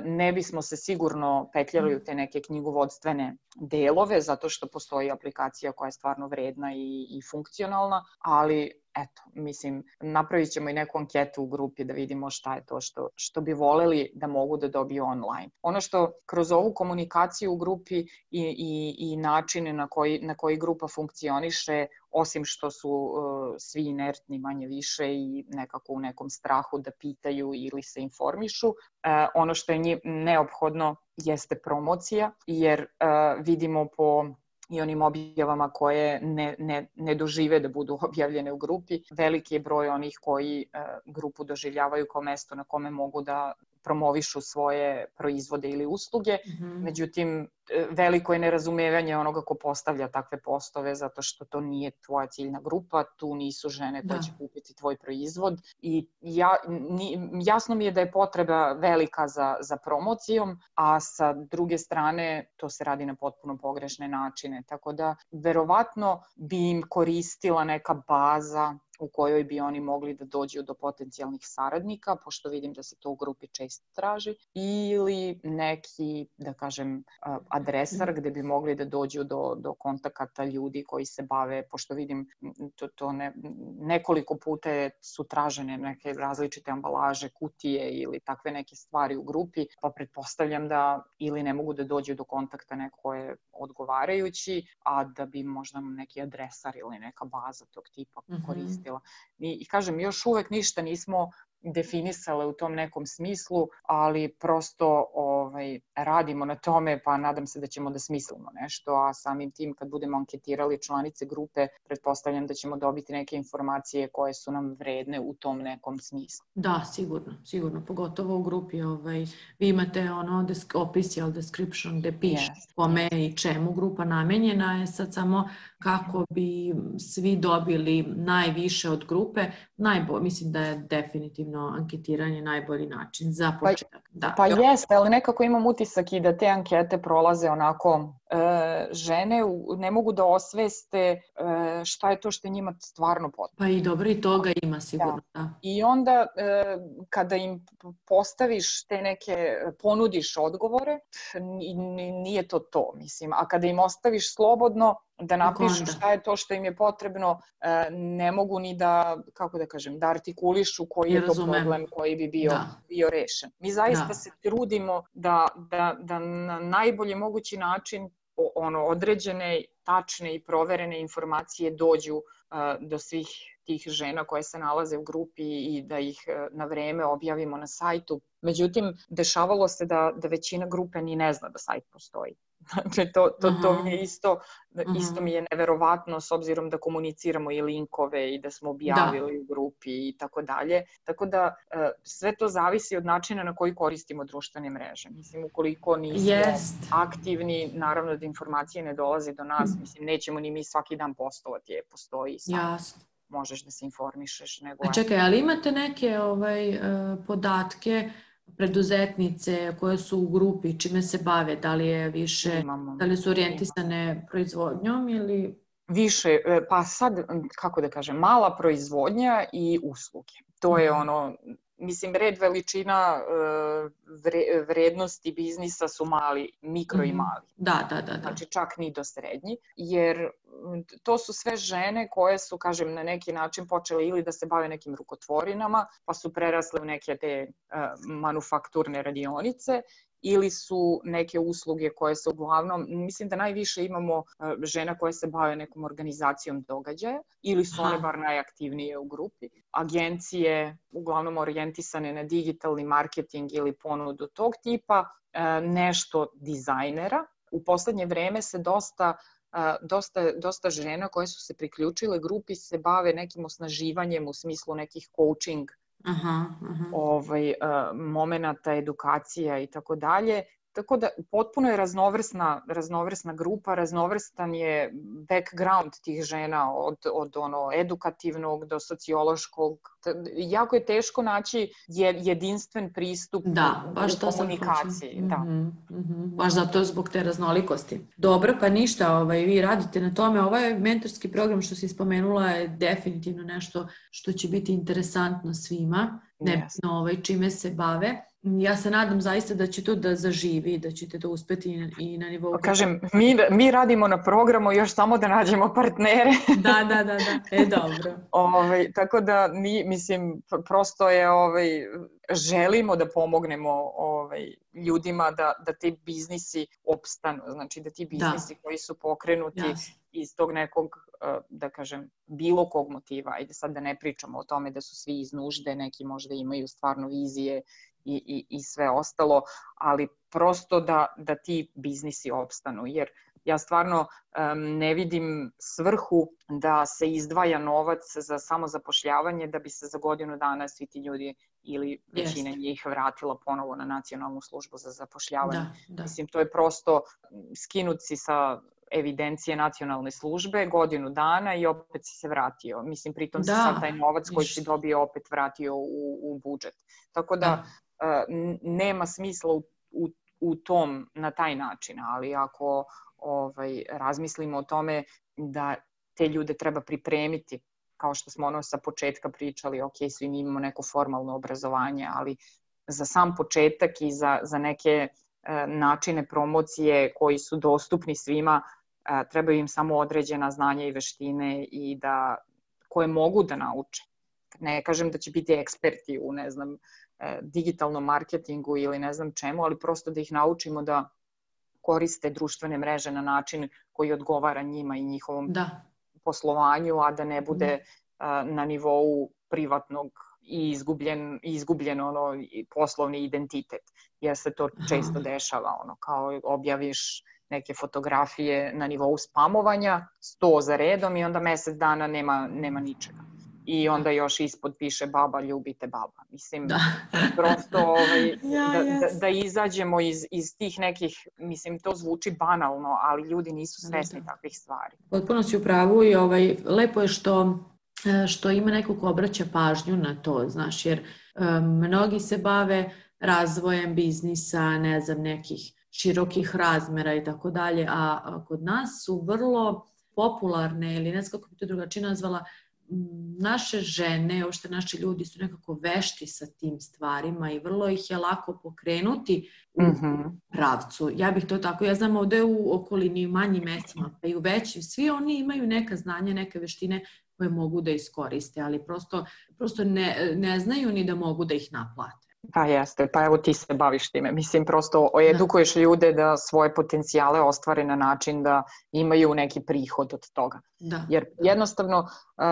ne bismo se sigurno petljali u te neke knjigovodstvene delove, zato što postoji aplikacija koja je stvarno vredna i, i funkcionalna, ali eto, mislim, napravit ćemo i neku anketu u grupi da vidimo šta je to što, što bi voleli da mogu da dobiju online. Ono što kroz ovu komunikaciju u grupi i, i, i načine na koji, na koji grupa funkcioniše, osim što su uh, svi inertni manje više i nekako u nekom strahu da pitaju ili se informišu, uh, ono što je njim neophodno jeste promocija, jer uh, vidimo po i onim objavama koje ne, ne, ne dožive da budu objavljene u grupi. Veliki je broj onih koji uh, grupu doživljavaju kao mesto na kome mogu da promovišu svoje proizvode ili usluge. Mm-hmm. Međutim, veliko je nerazumevanje onoga ko postavlja takve postove, zato što to nije tvoja ciljna grupa, tu nisu žene koje da. će kupiti tvoj proizvod. I ja, ni, jasno mi je da je potreba velika za, za promocijom, a sa druge strane to se radi na potpuno pogrešne načine. Tako da, verovatno bi im koristila neka baza u kojoj bi oni mogli da dođu do potencijalnih saradnika, pošto vidim da se to u grupi često traži, ili neki, da kažem, adresar gde bi mogli da dođu do, do kontakata ljudi koji se bave, pošto vidim to, to ne, nekoliko puta su tražene neke različite ambalaže, kutije ili takve neke stvari u grupi, pa pretpostavljam da ili ne mogu da dođu do kontakta neko je odgovarajući, a da bi možda neki adresar ili neka baza tog tipa koristila. I, I kažem, još uvek ništa nismo definisale u tom nekom smislu, ali prosto ovaj, radimo na tome, pa nadam se da ćemo da smislimo nešto, a samim tim kad budemo anketirali članice grupe, pretpostavljam da ćemo dobiti neke informacije koje su nam vredne u tom nekom smislu. Da, sigurno, sigurno, pogotovo u grupi ovaj, vi imate ono desk, opis, jel, description gde piše yes, kome yes. i čemu grupa namenjena je, sad samo kako bi svi dobili najviše od grupe, najbolje, mislim da je definitivno anketiranje najbolji način za početak. Pa, da. pa jeste, ali nekako imam utisak i da te ankete prolaze onako, e, žene u, ne mogu da osveste e, šta je to što je njima stvarno potrebno. Pa i dobro, i toga ima sigurno. Da. Da. I onda e, kada im postaviš te neke, ponudiš odgovore, nije to to, mislim. A kada im ostaviš slobodno da napišu šta je to što im je potrebno, ne mogu ni da, kako da kažem, da artikulišu koji je to problem koji bi bio, bio rešen. Mi zaista da. se trudimo da, da, da na najbolji mogući način ono, određene, tačne i proverene informacije dođu uh, do svih tih žena koje se nalaze u grupi i da ih uh, na vreme objavimo na sajtu. Međutim, dešavalo se da, da većina grupe ni ne zna da sajt postoji. Znači, to, to, to mi je isto, isto mi je neverovatno s obzirom da komuniciramo i linkove i da smo objavili da. u grupi i tako dalje. Tako da sve to zavisi od načina na koji koristimo društvene mreže. Mislim, ukoliko nismo yes. aktivni, naravno da informacije ne dolaze do nas. Mislim, nećemo ni mi svaki dan postovati, je, postoji sam. Jasno. Možeš da se informišeš. Nego A čekaj, ali imate neke ovaj, podatke preduzetnice koje su u grupi, čime se bave, da li je više, imamo, da li su orijentisane imamo. proizvodnjom ili... Više, pa sad, kako da kažem, mala proizvodnja i usluge. To je ono, mislim, red veličina vrednosti biznisa su mali, mikro i mali. Da, da, da, da. Znači čak ni do srednji, jer to su sve žene koje su, kažem, na neki način počele ili da se bave nekim rukotvorinama, pa su prerasle u neke te uh, manufakturne radionice, ili su neke usluge koje se uglavnom, mislim da najviše imamo uh, žena koje se bave nekom organizacijom događaja, ili su one bar najaktivnije u grupi. Agencije uglavnom orijentisane na digitalni marketing ili ponudu tog tipa, uh, nešto dizajnera. U poslednje vreme se dosta Uh, dosta, dosta žena koje su se priključile grupi se bave nekim osnaživanjem u smislu nekih coaching aha, aha. Ovaj, uh, momenata, edukacija i tako dalje. tako da potpuno je raznovrsna, raznovrsna grupa, raznovrstan je background tih žena od, od ono edukativnog do sociološkog. Jako je teško naći jedinstven pristup da, baš u komunikaciji. Da. Mm-hmm, mm-hmm. Baš zato zbog te raznolikosti. Dobro, pa ništa, ovaj, vi radite na tome. Ovaj mentorski program što si spomenula je definitivno nešto što će biti interesantno svima, nebitno ovaj, čime se bave. Ja se nadam zaista da će to da zaživi, da ćete to uspeti i na nivou... Kažem, mi, mi radimo na programu još samo da nađemo partnere. Da, da, da, da. E, dobro. Ovaj, tako da, mi, mislim, prosto je, ovaj, želimo da pomognemo ovaj, ljudima da, da ti biznisi opstanu. Znači, da ti biznisi da. koji su pokrenuti yes. iz tog nekog, da kažem, bilo kog motiva. Ajde sad da ne pričamo o tome da su svi iz nužde, neki možda imaju stvarno vizije I, i, i sve ostalo, ali prosto da, da ti biznisi opstanu, jer ja stvarno um, ne vidim svrhu da se izdvaja novac za samozapošljavanje da bi se za godinu dana svi ti ljudi ili većina Jest. njih vratila ponovo na Nacionalnu službu za zapošljavanje. Da, da. Mislim, to je prosto skinuti sa evidencije nacionalne službe godinu dana i opet si se vratio. Mislim, pritom da, si sad taj novac koji si dobio opet vratio u, u budžet. Tako da, da. Uh, nema smisla u, u, u tom na taj način, ali ako ovaj, razmislimo o tome da te ljude treba pripremiti, kao što smo ono sa početka pričali, ok, svi mi imamo neko formalno obrazovanje, ali za sam početak i za, za neke uh, načine promocije koji su dostupni svima, uh, trebaju im samo određena znanja i veštine i da, koje mogu da nauče. Ne kažem da će biti eksperti u, ne znam, digitalnom marketingu ili ne znam čemu, ali prosto da ih naučimo da koriste društvene mreže na način koji odgovara njima i njihovom da. poslovanju, a da ne bude uh, na nivou privatnog i izgubljen, izgubljen ono, poslovni identitet. Jer se to često dešava, ono, kao objaviš neke fotografije na nivou spamovanja, sto za redom i onda mesec dana nema, nema ničega. I onda još ispod piše baba, ljubite baba. Mislim, da. prosto ovaj, ja, da, yes. da, da izađemo iz, iz tih nekih, mislim, to zvuči banalno, ali ljudi nisu svesni da. takvih stvari. Potpuno si u pravu i ovaj, lepo je što, što ima neko ko obraća pažnju na to, znaš, jer um, mnogi se bave razvojem biznisa, ne znam, nekih širokih razmera i tako dalje, a kod nas su vrlo popularne, ili ne znam kako bi to drugačije nazvala, naše žene, uopšte naši ljudi su nekako vešti sa tim stvarima i vrlo ih je lako pokrenuti u mm-hmm. pravcu. Ja bih to tako, ja znam ovde u okolini, u manjim mestima, pa i u većim, svi oni imaju neka znanja, neke veštine koje mogu da iskoriste, ali prosto, prosto ne, ne znaju ni da mogu da ih naplate. Pa jeste, pa evo ti se baviš time. Mislim, prosto edukuješ ljude da svoje potencijale ostvare na način da imaju neki prihod od toga. Da. Jer jednostavno uh,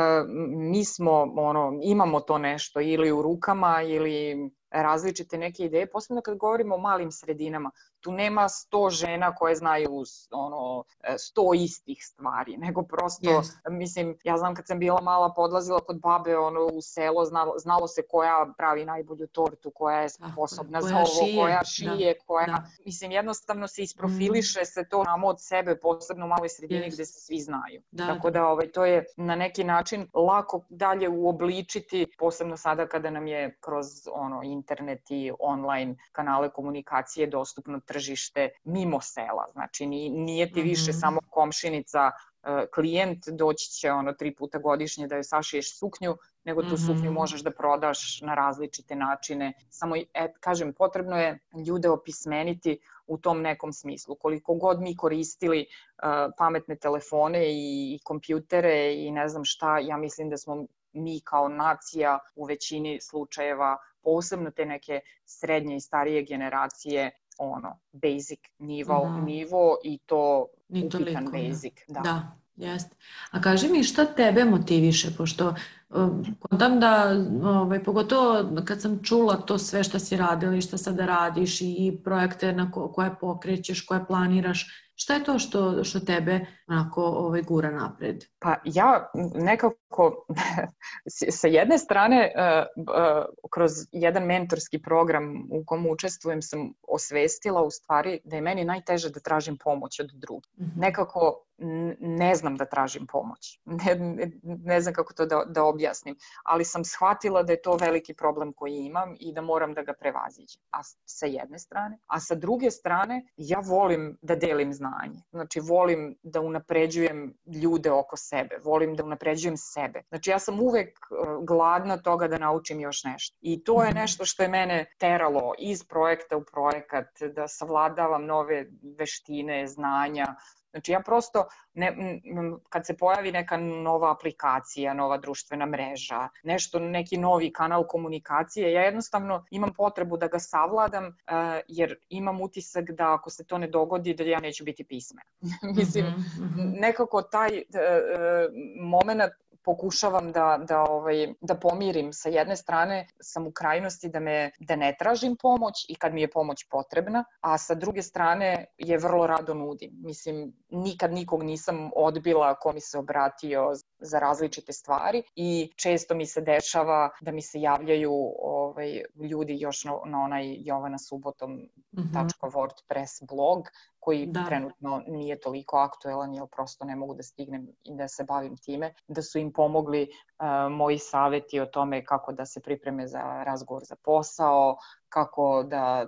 mi smo, ono, imamo to nešto ili u rukama ili različite neke ideje, posebno kad govorimo o malim sredinama. Tu nema sto žena koje znaju ono, sto istih stvari, nego prosto, yes. mislim, ja znam kad sam bila mala, podlazila kod babe ono, u selo, znalo, znalo se koja pravi najbolju tortu, koja je sposobna koja za ovo, šije. koja šije, da. koja, da. mislim, jednostavno se isprofiliše mm. se to samo od sebe, posebno u maloj sredini yes. gde se svi znaju. Da, Tako da ovaj, to je na neki način lako dalje uobličiti, posebno sada kada nam je kroz ono, internet i online kanale komunikacije dostupno tržište mimo sela. Znači nije ti više mm-hmm. samo komšinica klijent, doći će ono tri puta godišnje da joj sašiješ suknju, nego tu mm-hmm. suknju možeš da prodaš na različite načine. Samo, et, kažem, potrebno je ljude opismeniti u tom nekom smislu. Koliko god mi koristili uh, pametne telefone i, i kompjutere i ne znam šta, ja mislim da smo mi kao nacija u većini slučajeva, posebno te neke srednje i starije generacije, ono, basic nivo, mm. nivo i to Ni upitan toliko, basic. Da, da jest. A kaži mi šta tebe motiviše, pošto um, kontam da, ovaj, pogotovo kad sam čula to sve šta si radila i šta sada radiš i projekte na ko, koje pokrećeš, koje planiraš, Šta je to što, što tebe onako ovaj, gura napred? Pa ja nekako sa jedne strane kroz jedan mentorski program u kom učestvujem sam osvestila u stvari da je meni najteže da tražim pomoć od drugih. Mm-hmm. Nekako ne znam da tražim pomoć. Ne, ne, ne znam kako to da, da objasnim, ali sam shvatila da je to veliki problem koji imam i da moram da ga prevaziđem. A sa jedne strane. A sa druge strane, ja volim da delim znanje. Znači, volim da unapređujem ljude oko sebe. Volim da unapređujem sebe. Znači, ja sam uvek gladna toga da naučim još nešto. I to je nešto što je mene teralo iz projekta u projekat, da savladavam nove veštine, znanja. Znači ja prosto, ne, kad se pojavi neka nova aplikacija, nova društvena mreža, nešto, neki novi kanal komunikacije, ja jednostavno imam potrebu da ga savladam uh, jer imam utisak da ako se to ne dogodi da ja neću biti pismena. Mislim, mm-hmm. nekako taj uh, moment pokušavam da, da, ovaj, da pomirim. Sa jedne strane sam u krajnosti da, me, da ne tražim pomoć i kad mi je pomoć potrebna, a sa druge strane je vrlo rado nudim. Mislim, nikad nikog nisam odbila ko mi se obratio za različite stvari i često mi se dešava da mi se javljaju ovaj, ljudi još na, na onaj jovana subotom tačka wordpress blog koji da. Trenutno nije toliko aktuelan jer prosto ne mogu da stignem i da se bavim time, da su im pomogli uh, moji saveti o tome kako da se pripreme za razgovor za posao, kako da,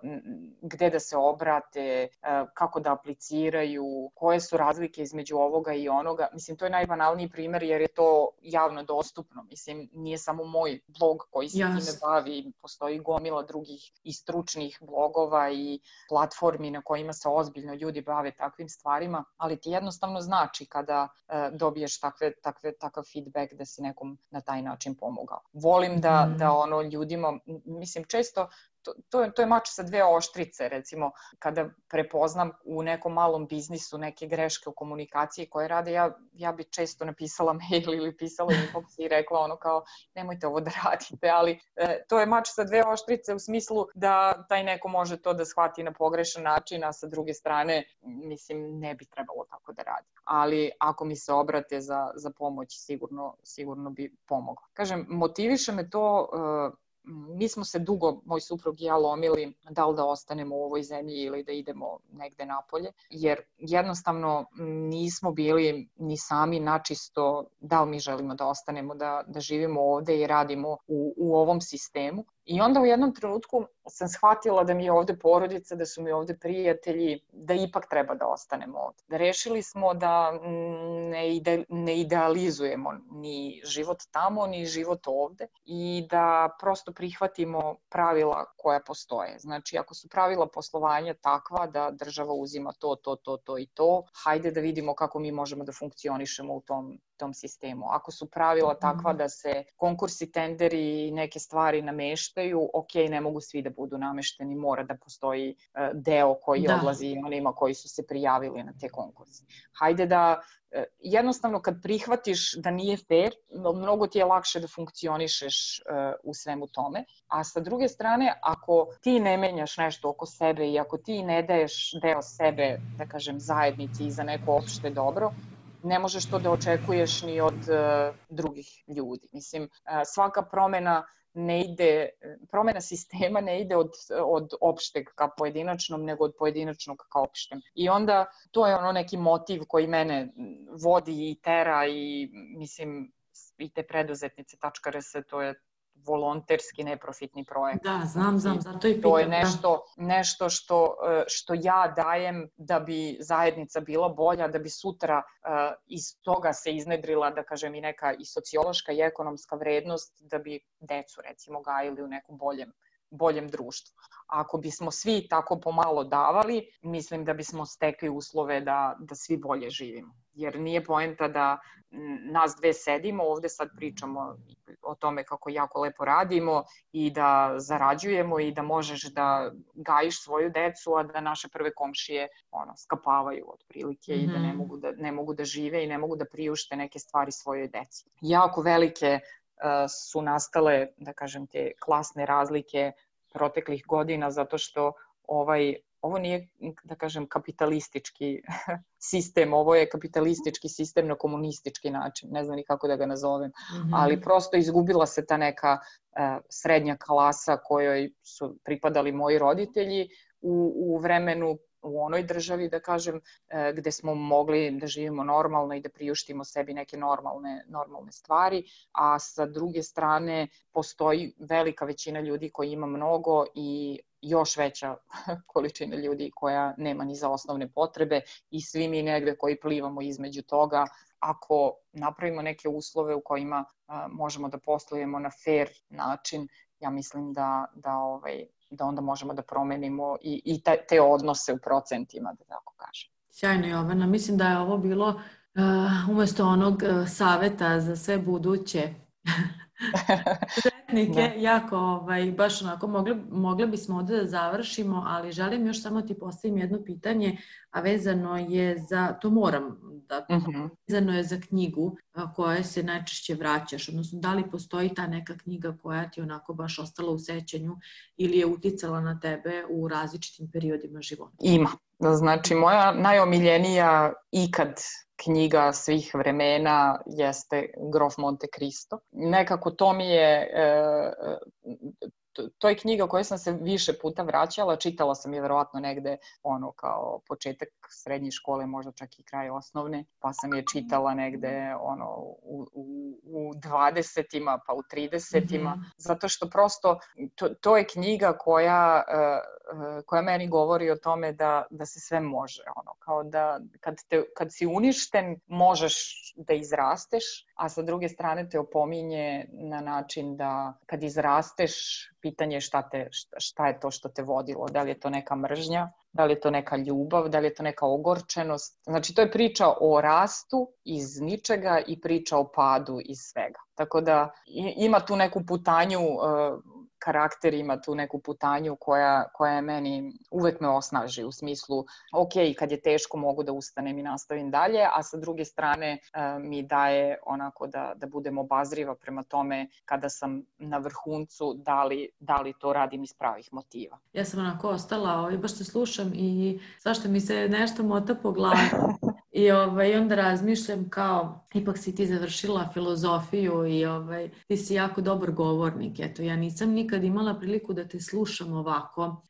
gde da se obrate, kako da apliciraju, koje su razlike između ovoga i onoga. Mislim, to je najbanalniji primer jer je to javno dostupno. Mislim, nije samo moj blog koji se yes. time bavi, postoji gomila drugih i stručnih blogova i platformi na kojima se ozbiljno ljudi bave takvim stvarima, ali ti jednostavno znači kada uh, dobiješ takve, takve, takav feedback da si nekom na taj način pomogao. Volim da, mm. da ono ljudima, mislim, često To, to, je, to je mač sa dve oštrice, recimo, kada prepoznam u nekom malom biznisu neke greške u komunikaciji koje rade, ja, ja bi često napisala mail ili pisala inbox i rekla ono kao, nemojte ovo da radite, ali e, to je mač sa dve oštrice u smislu da taj neko može to da shvati na pogrešan način, a sa druge strane, mislim, ne bi trebalo tako da radi. Ali ako mi se obrate za, za pomoć, sigurno, sigurno bi pomogla. Kažem, motiviše me to... E, mi smo se dugo, moj suprug i ja, lomili da li da ostanemo u ovoj zemlji ili da idemo negde napolje, jer jednostavno nismo bili ni sami načisto da li mi želimo da ostanemo, da, da živimo ovde i radimo u, u ovom sistemu. I onda u jednom trenutku sam shvatila da mi je ovde porodica, da su mi ovde prijatelji, da ipak treba da ostanemo ovde. Da rešili smo da ne, ide, ne idealizujemo ni život tamo, ni život ovde i da prosto prihvatimo pravila koja postoje. Znači, ako su pravila poslovanja takva da država uzima to, to, to, to i to, hajde da vidimo kako mi možemo da funkcionišemo u tom tom sistemu. Ako su pravila takva da se konkursi, tenderi i neke stvari nameštaju, ok, ne mogu svi da budu namešteni, mora da postoji deo koji da. odlazi onima koji su se prijavili na te konkurse. Hajde da jednostavno kad prihvatiš da nije fair, mnogo ti je lakše da funkcionišeš u svemu tome, a sa druge strane, ako ti ne menjaš nešto oko sebe i ako ti ne daješ deo sebe, da kažem, zajednici i za neko opšte dobro, ne možeš to da očekuješ ni od uh, drugih ljudi. Mislim, uh, svaka promena ne ide, promena sistema ne ide od, od opšteg ka pojedinačnom, nego od pojedinačnog ka opštem. I onda to je ono neki motiv koji mene vodi i tera i mislim i te preduzetnice tačka er es, to je volonterski neprofitni projekt. Da, znam, znam, zato i pitam. To je nešto, nešto što, što ja dajem da bi zajednica bila bolja, da bi sutra uh, iz toga se iznedrila, da kažem, i neka i sociološka i ekonomska vrednost, da bi decu, recimo, gajili u nekom boljem, boljem društvu. Ako bismo svi tako pomalo davali, mislim da bismo stekli uslove da, da svi bolje živimo. Jer nije poenta da nas dve sedimo, ovde sad pričamo o tome kako jako lepo radimo i da zarađujemo i da možeš da gajiš svoju decu, a da naše prve komšije ono, skapavaju otprilike mm-hmm. i da ne mogu da, ne mogu da žive i ne mogu da priušte neke stvari svojoj deci. Jako velike uh, su nastale, da kažem, te klasne razlike proteklih godina zato što ovaj ovo nije, da kažem, kapitalistički sistem, ovo je kapitalistički sistem na komunistički način, ne znam ni kako da ga nazovem, mm-hmm. ali prosto izgubila se ta neka uh, srednja klasa kojoj su pripadali moji roditelji u, u vremenu, u onoj državi, da kažem, gde smo mogli da živimo normalno i da priuštimo sebi neke normalne, normalne stvari, a sa druge strane postoji velika većina ljudi koji ima mnogo i još veća količina ljudi koja nema ni za osnovne potrebe i svi mi negde koji plivamo između toga. Ako napravimo neke uslove u kojima a, možemo da poslujemo na fair način, ja mislim da, da ovaj, da onda možemo da promenimo i, i te, te odnose u procentima, da tako kažem. Sjajno, Jovana. Mislim da je ovo bilo uh, umjesto onog uh, saveta za sve buduće sretnike, jako, ovaj, baš onako, mogli, mogli bismo ovdje da završimo, ali želim još samo ti postavim jedno pitanje, a vezano je za, to moram da, uh-huh. vezano je za knjigu koja se najčešće vraćaš, odnosno da li postoji ta neka knjiga koja ti onako baš ostala u sećanju ili je uticala na tebe u različitim periodima života? Ima. Znači, moja najomiljenija ikad knjiga svih vremena jeste Grof Monte Cristo. Nekako to mi je, to, to je knjiga koju sam se više puta vraćala, čitala sam je verovatno negde ono kao početak srednje škole, možda čak i kraj osnovne, pa sam je čitala negde ono u, u, u dvadesetima pa u tridesetima, mm-hmm. zato što prosto to, to je knjiga koja koja meni govori o tome da, da se sve može, ono, kao da kad, te, kad si uništen možeš da izrasteš, a sa druge strane te opominje na način da kad izrasteš, pitanje je šta, te, šta, šta je to što te vodilo, da li je to neka mržnja, da li je to neka ljubav, da li je to neka ogorčenost. Znači to je priča o rastu iz ničega i priča o padu iz svega. Tako da ima tu neku putanju, karakter ima tu neku putanju koja, koja je meni, uvek me osnaži u smislu, ok, kad je teško mogu da ustanem i nastavim dalje, a sa druge strane mi daje onako da, da budem obazriva prema tome kada sam na vrhuncu, da li, da li to radim iz pravih motiva. Ja sam onako ostala i baš te slušam i svašta mi se nešto mota po glavi. I ovaj, onda razmišljam kao, ipak si ti završila filozofiju i ovaj, ti si jako dobar govornik. Eto, ja nisam nikad imala priliku da te slušam ovako.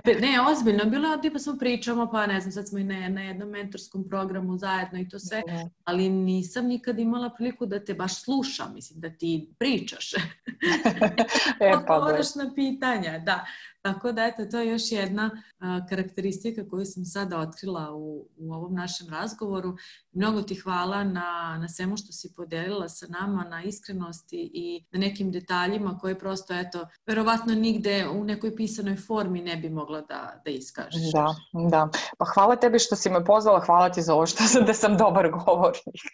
Ne, ozbiljno, bilo je tipa smo pričamo, pa ne znam, sad smo i na, na jednom mentorskom programu zajedno i to sve, ali nisam nikad imala priliku da te baš slušam, mislim, da ti pričaš. E, pa odgovaraš na pitanja, da. Tako da, eto, to je još jedna a, karakteristika koju sam sada otkrila u, u ovom našem razgovoru. Mnogo ti hvala na, na svemu što si podelila sa nama, na iskrenosti i na nekim detaljima koje prosto, eto, verovatno nigde u nekoj pisanoj formi ne bi mogla da, da iskažeš. Da, da. Pa hvala tebi što si me pozvala, hvala ti za ovo što sam, da sam dobar govornik.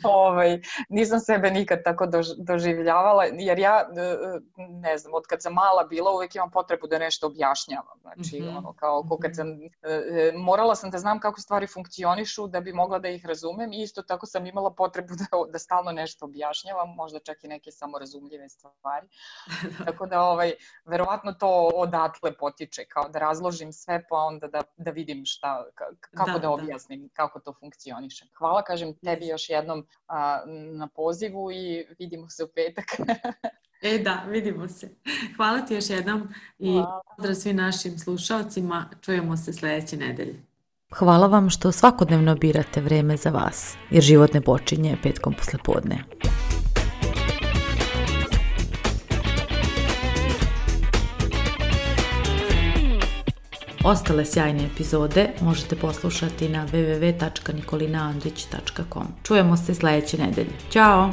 ovaj, nisam sebe nikad tako dož, doživljavala, jer ja, ne znam, od kad sam mala bila, uvijek imam potrebu da nešto objašnjavam. Znači, mm-hmm. ono, kao, kao kad sam, e, morala sam da znam kako stvari funkcionišu da bi mogla da ih razumem i isto tako sam imala potrebu da, da stalno nešto objašnjavam, možda čak i neke samorazumljive stvari. Tako da, ovaj, verovatno to odatle potiče, kao da razložim sve pa onda da, da vidim šta, kako da, da objasnim, da. Kako to funkcioniše. Hvala, kažem tebi još jednom a, na pozivu i vidimo se u petak. E da, vidimo se. Hvala ti još jednom i pozdrav svim našim slušalcima. Čujemo se sljedeće nedelje. Hvala vam što svakodnevno birate vreme za vas, jer život ne počinje petkom poslepodne. Ostale sjajne epizode možete poslušati na w w w tačka nikolina andrić tačka com. Čujemo se sljedeće nedelje. Ćao!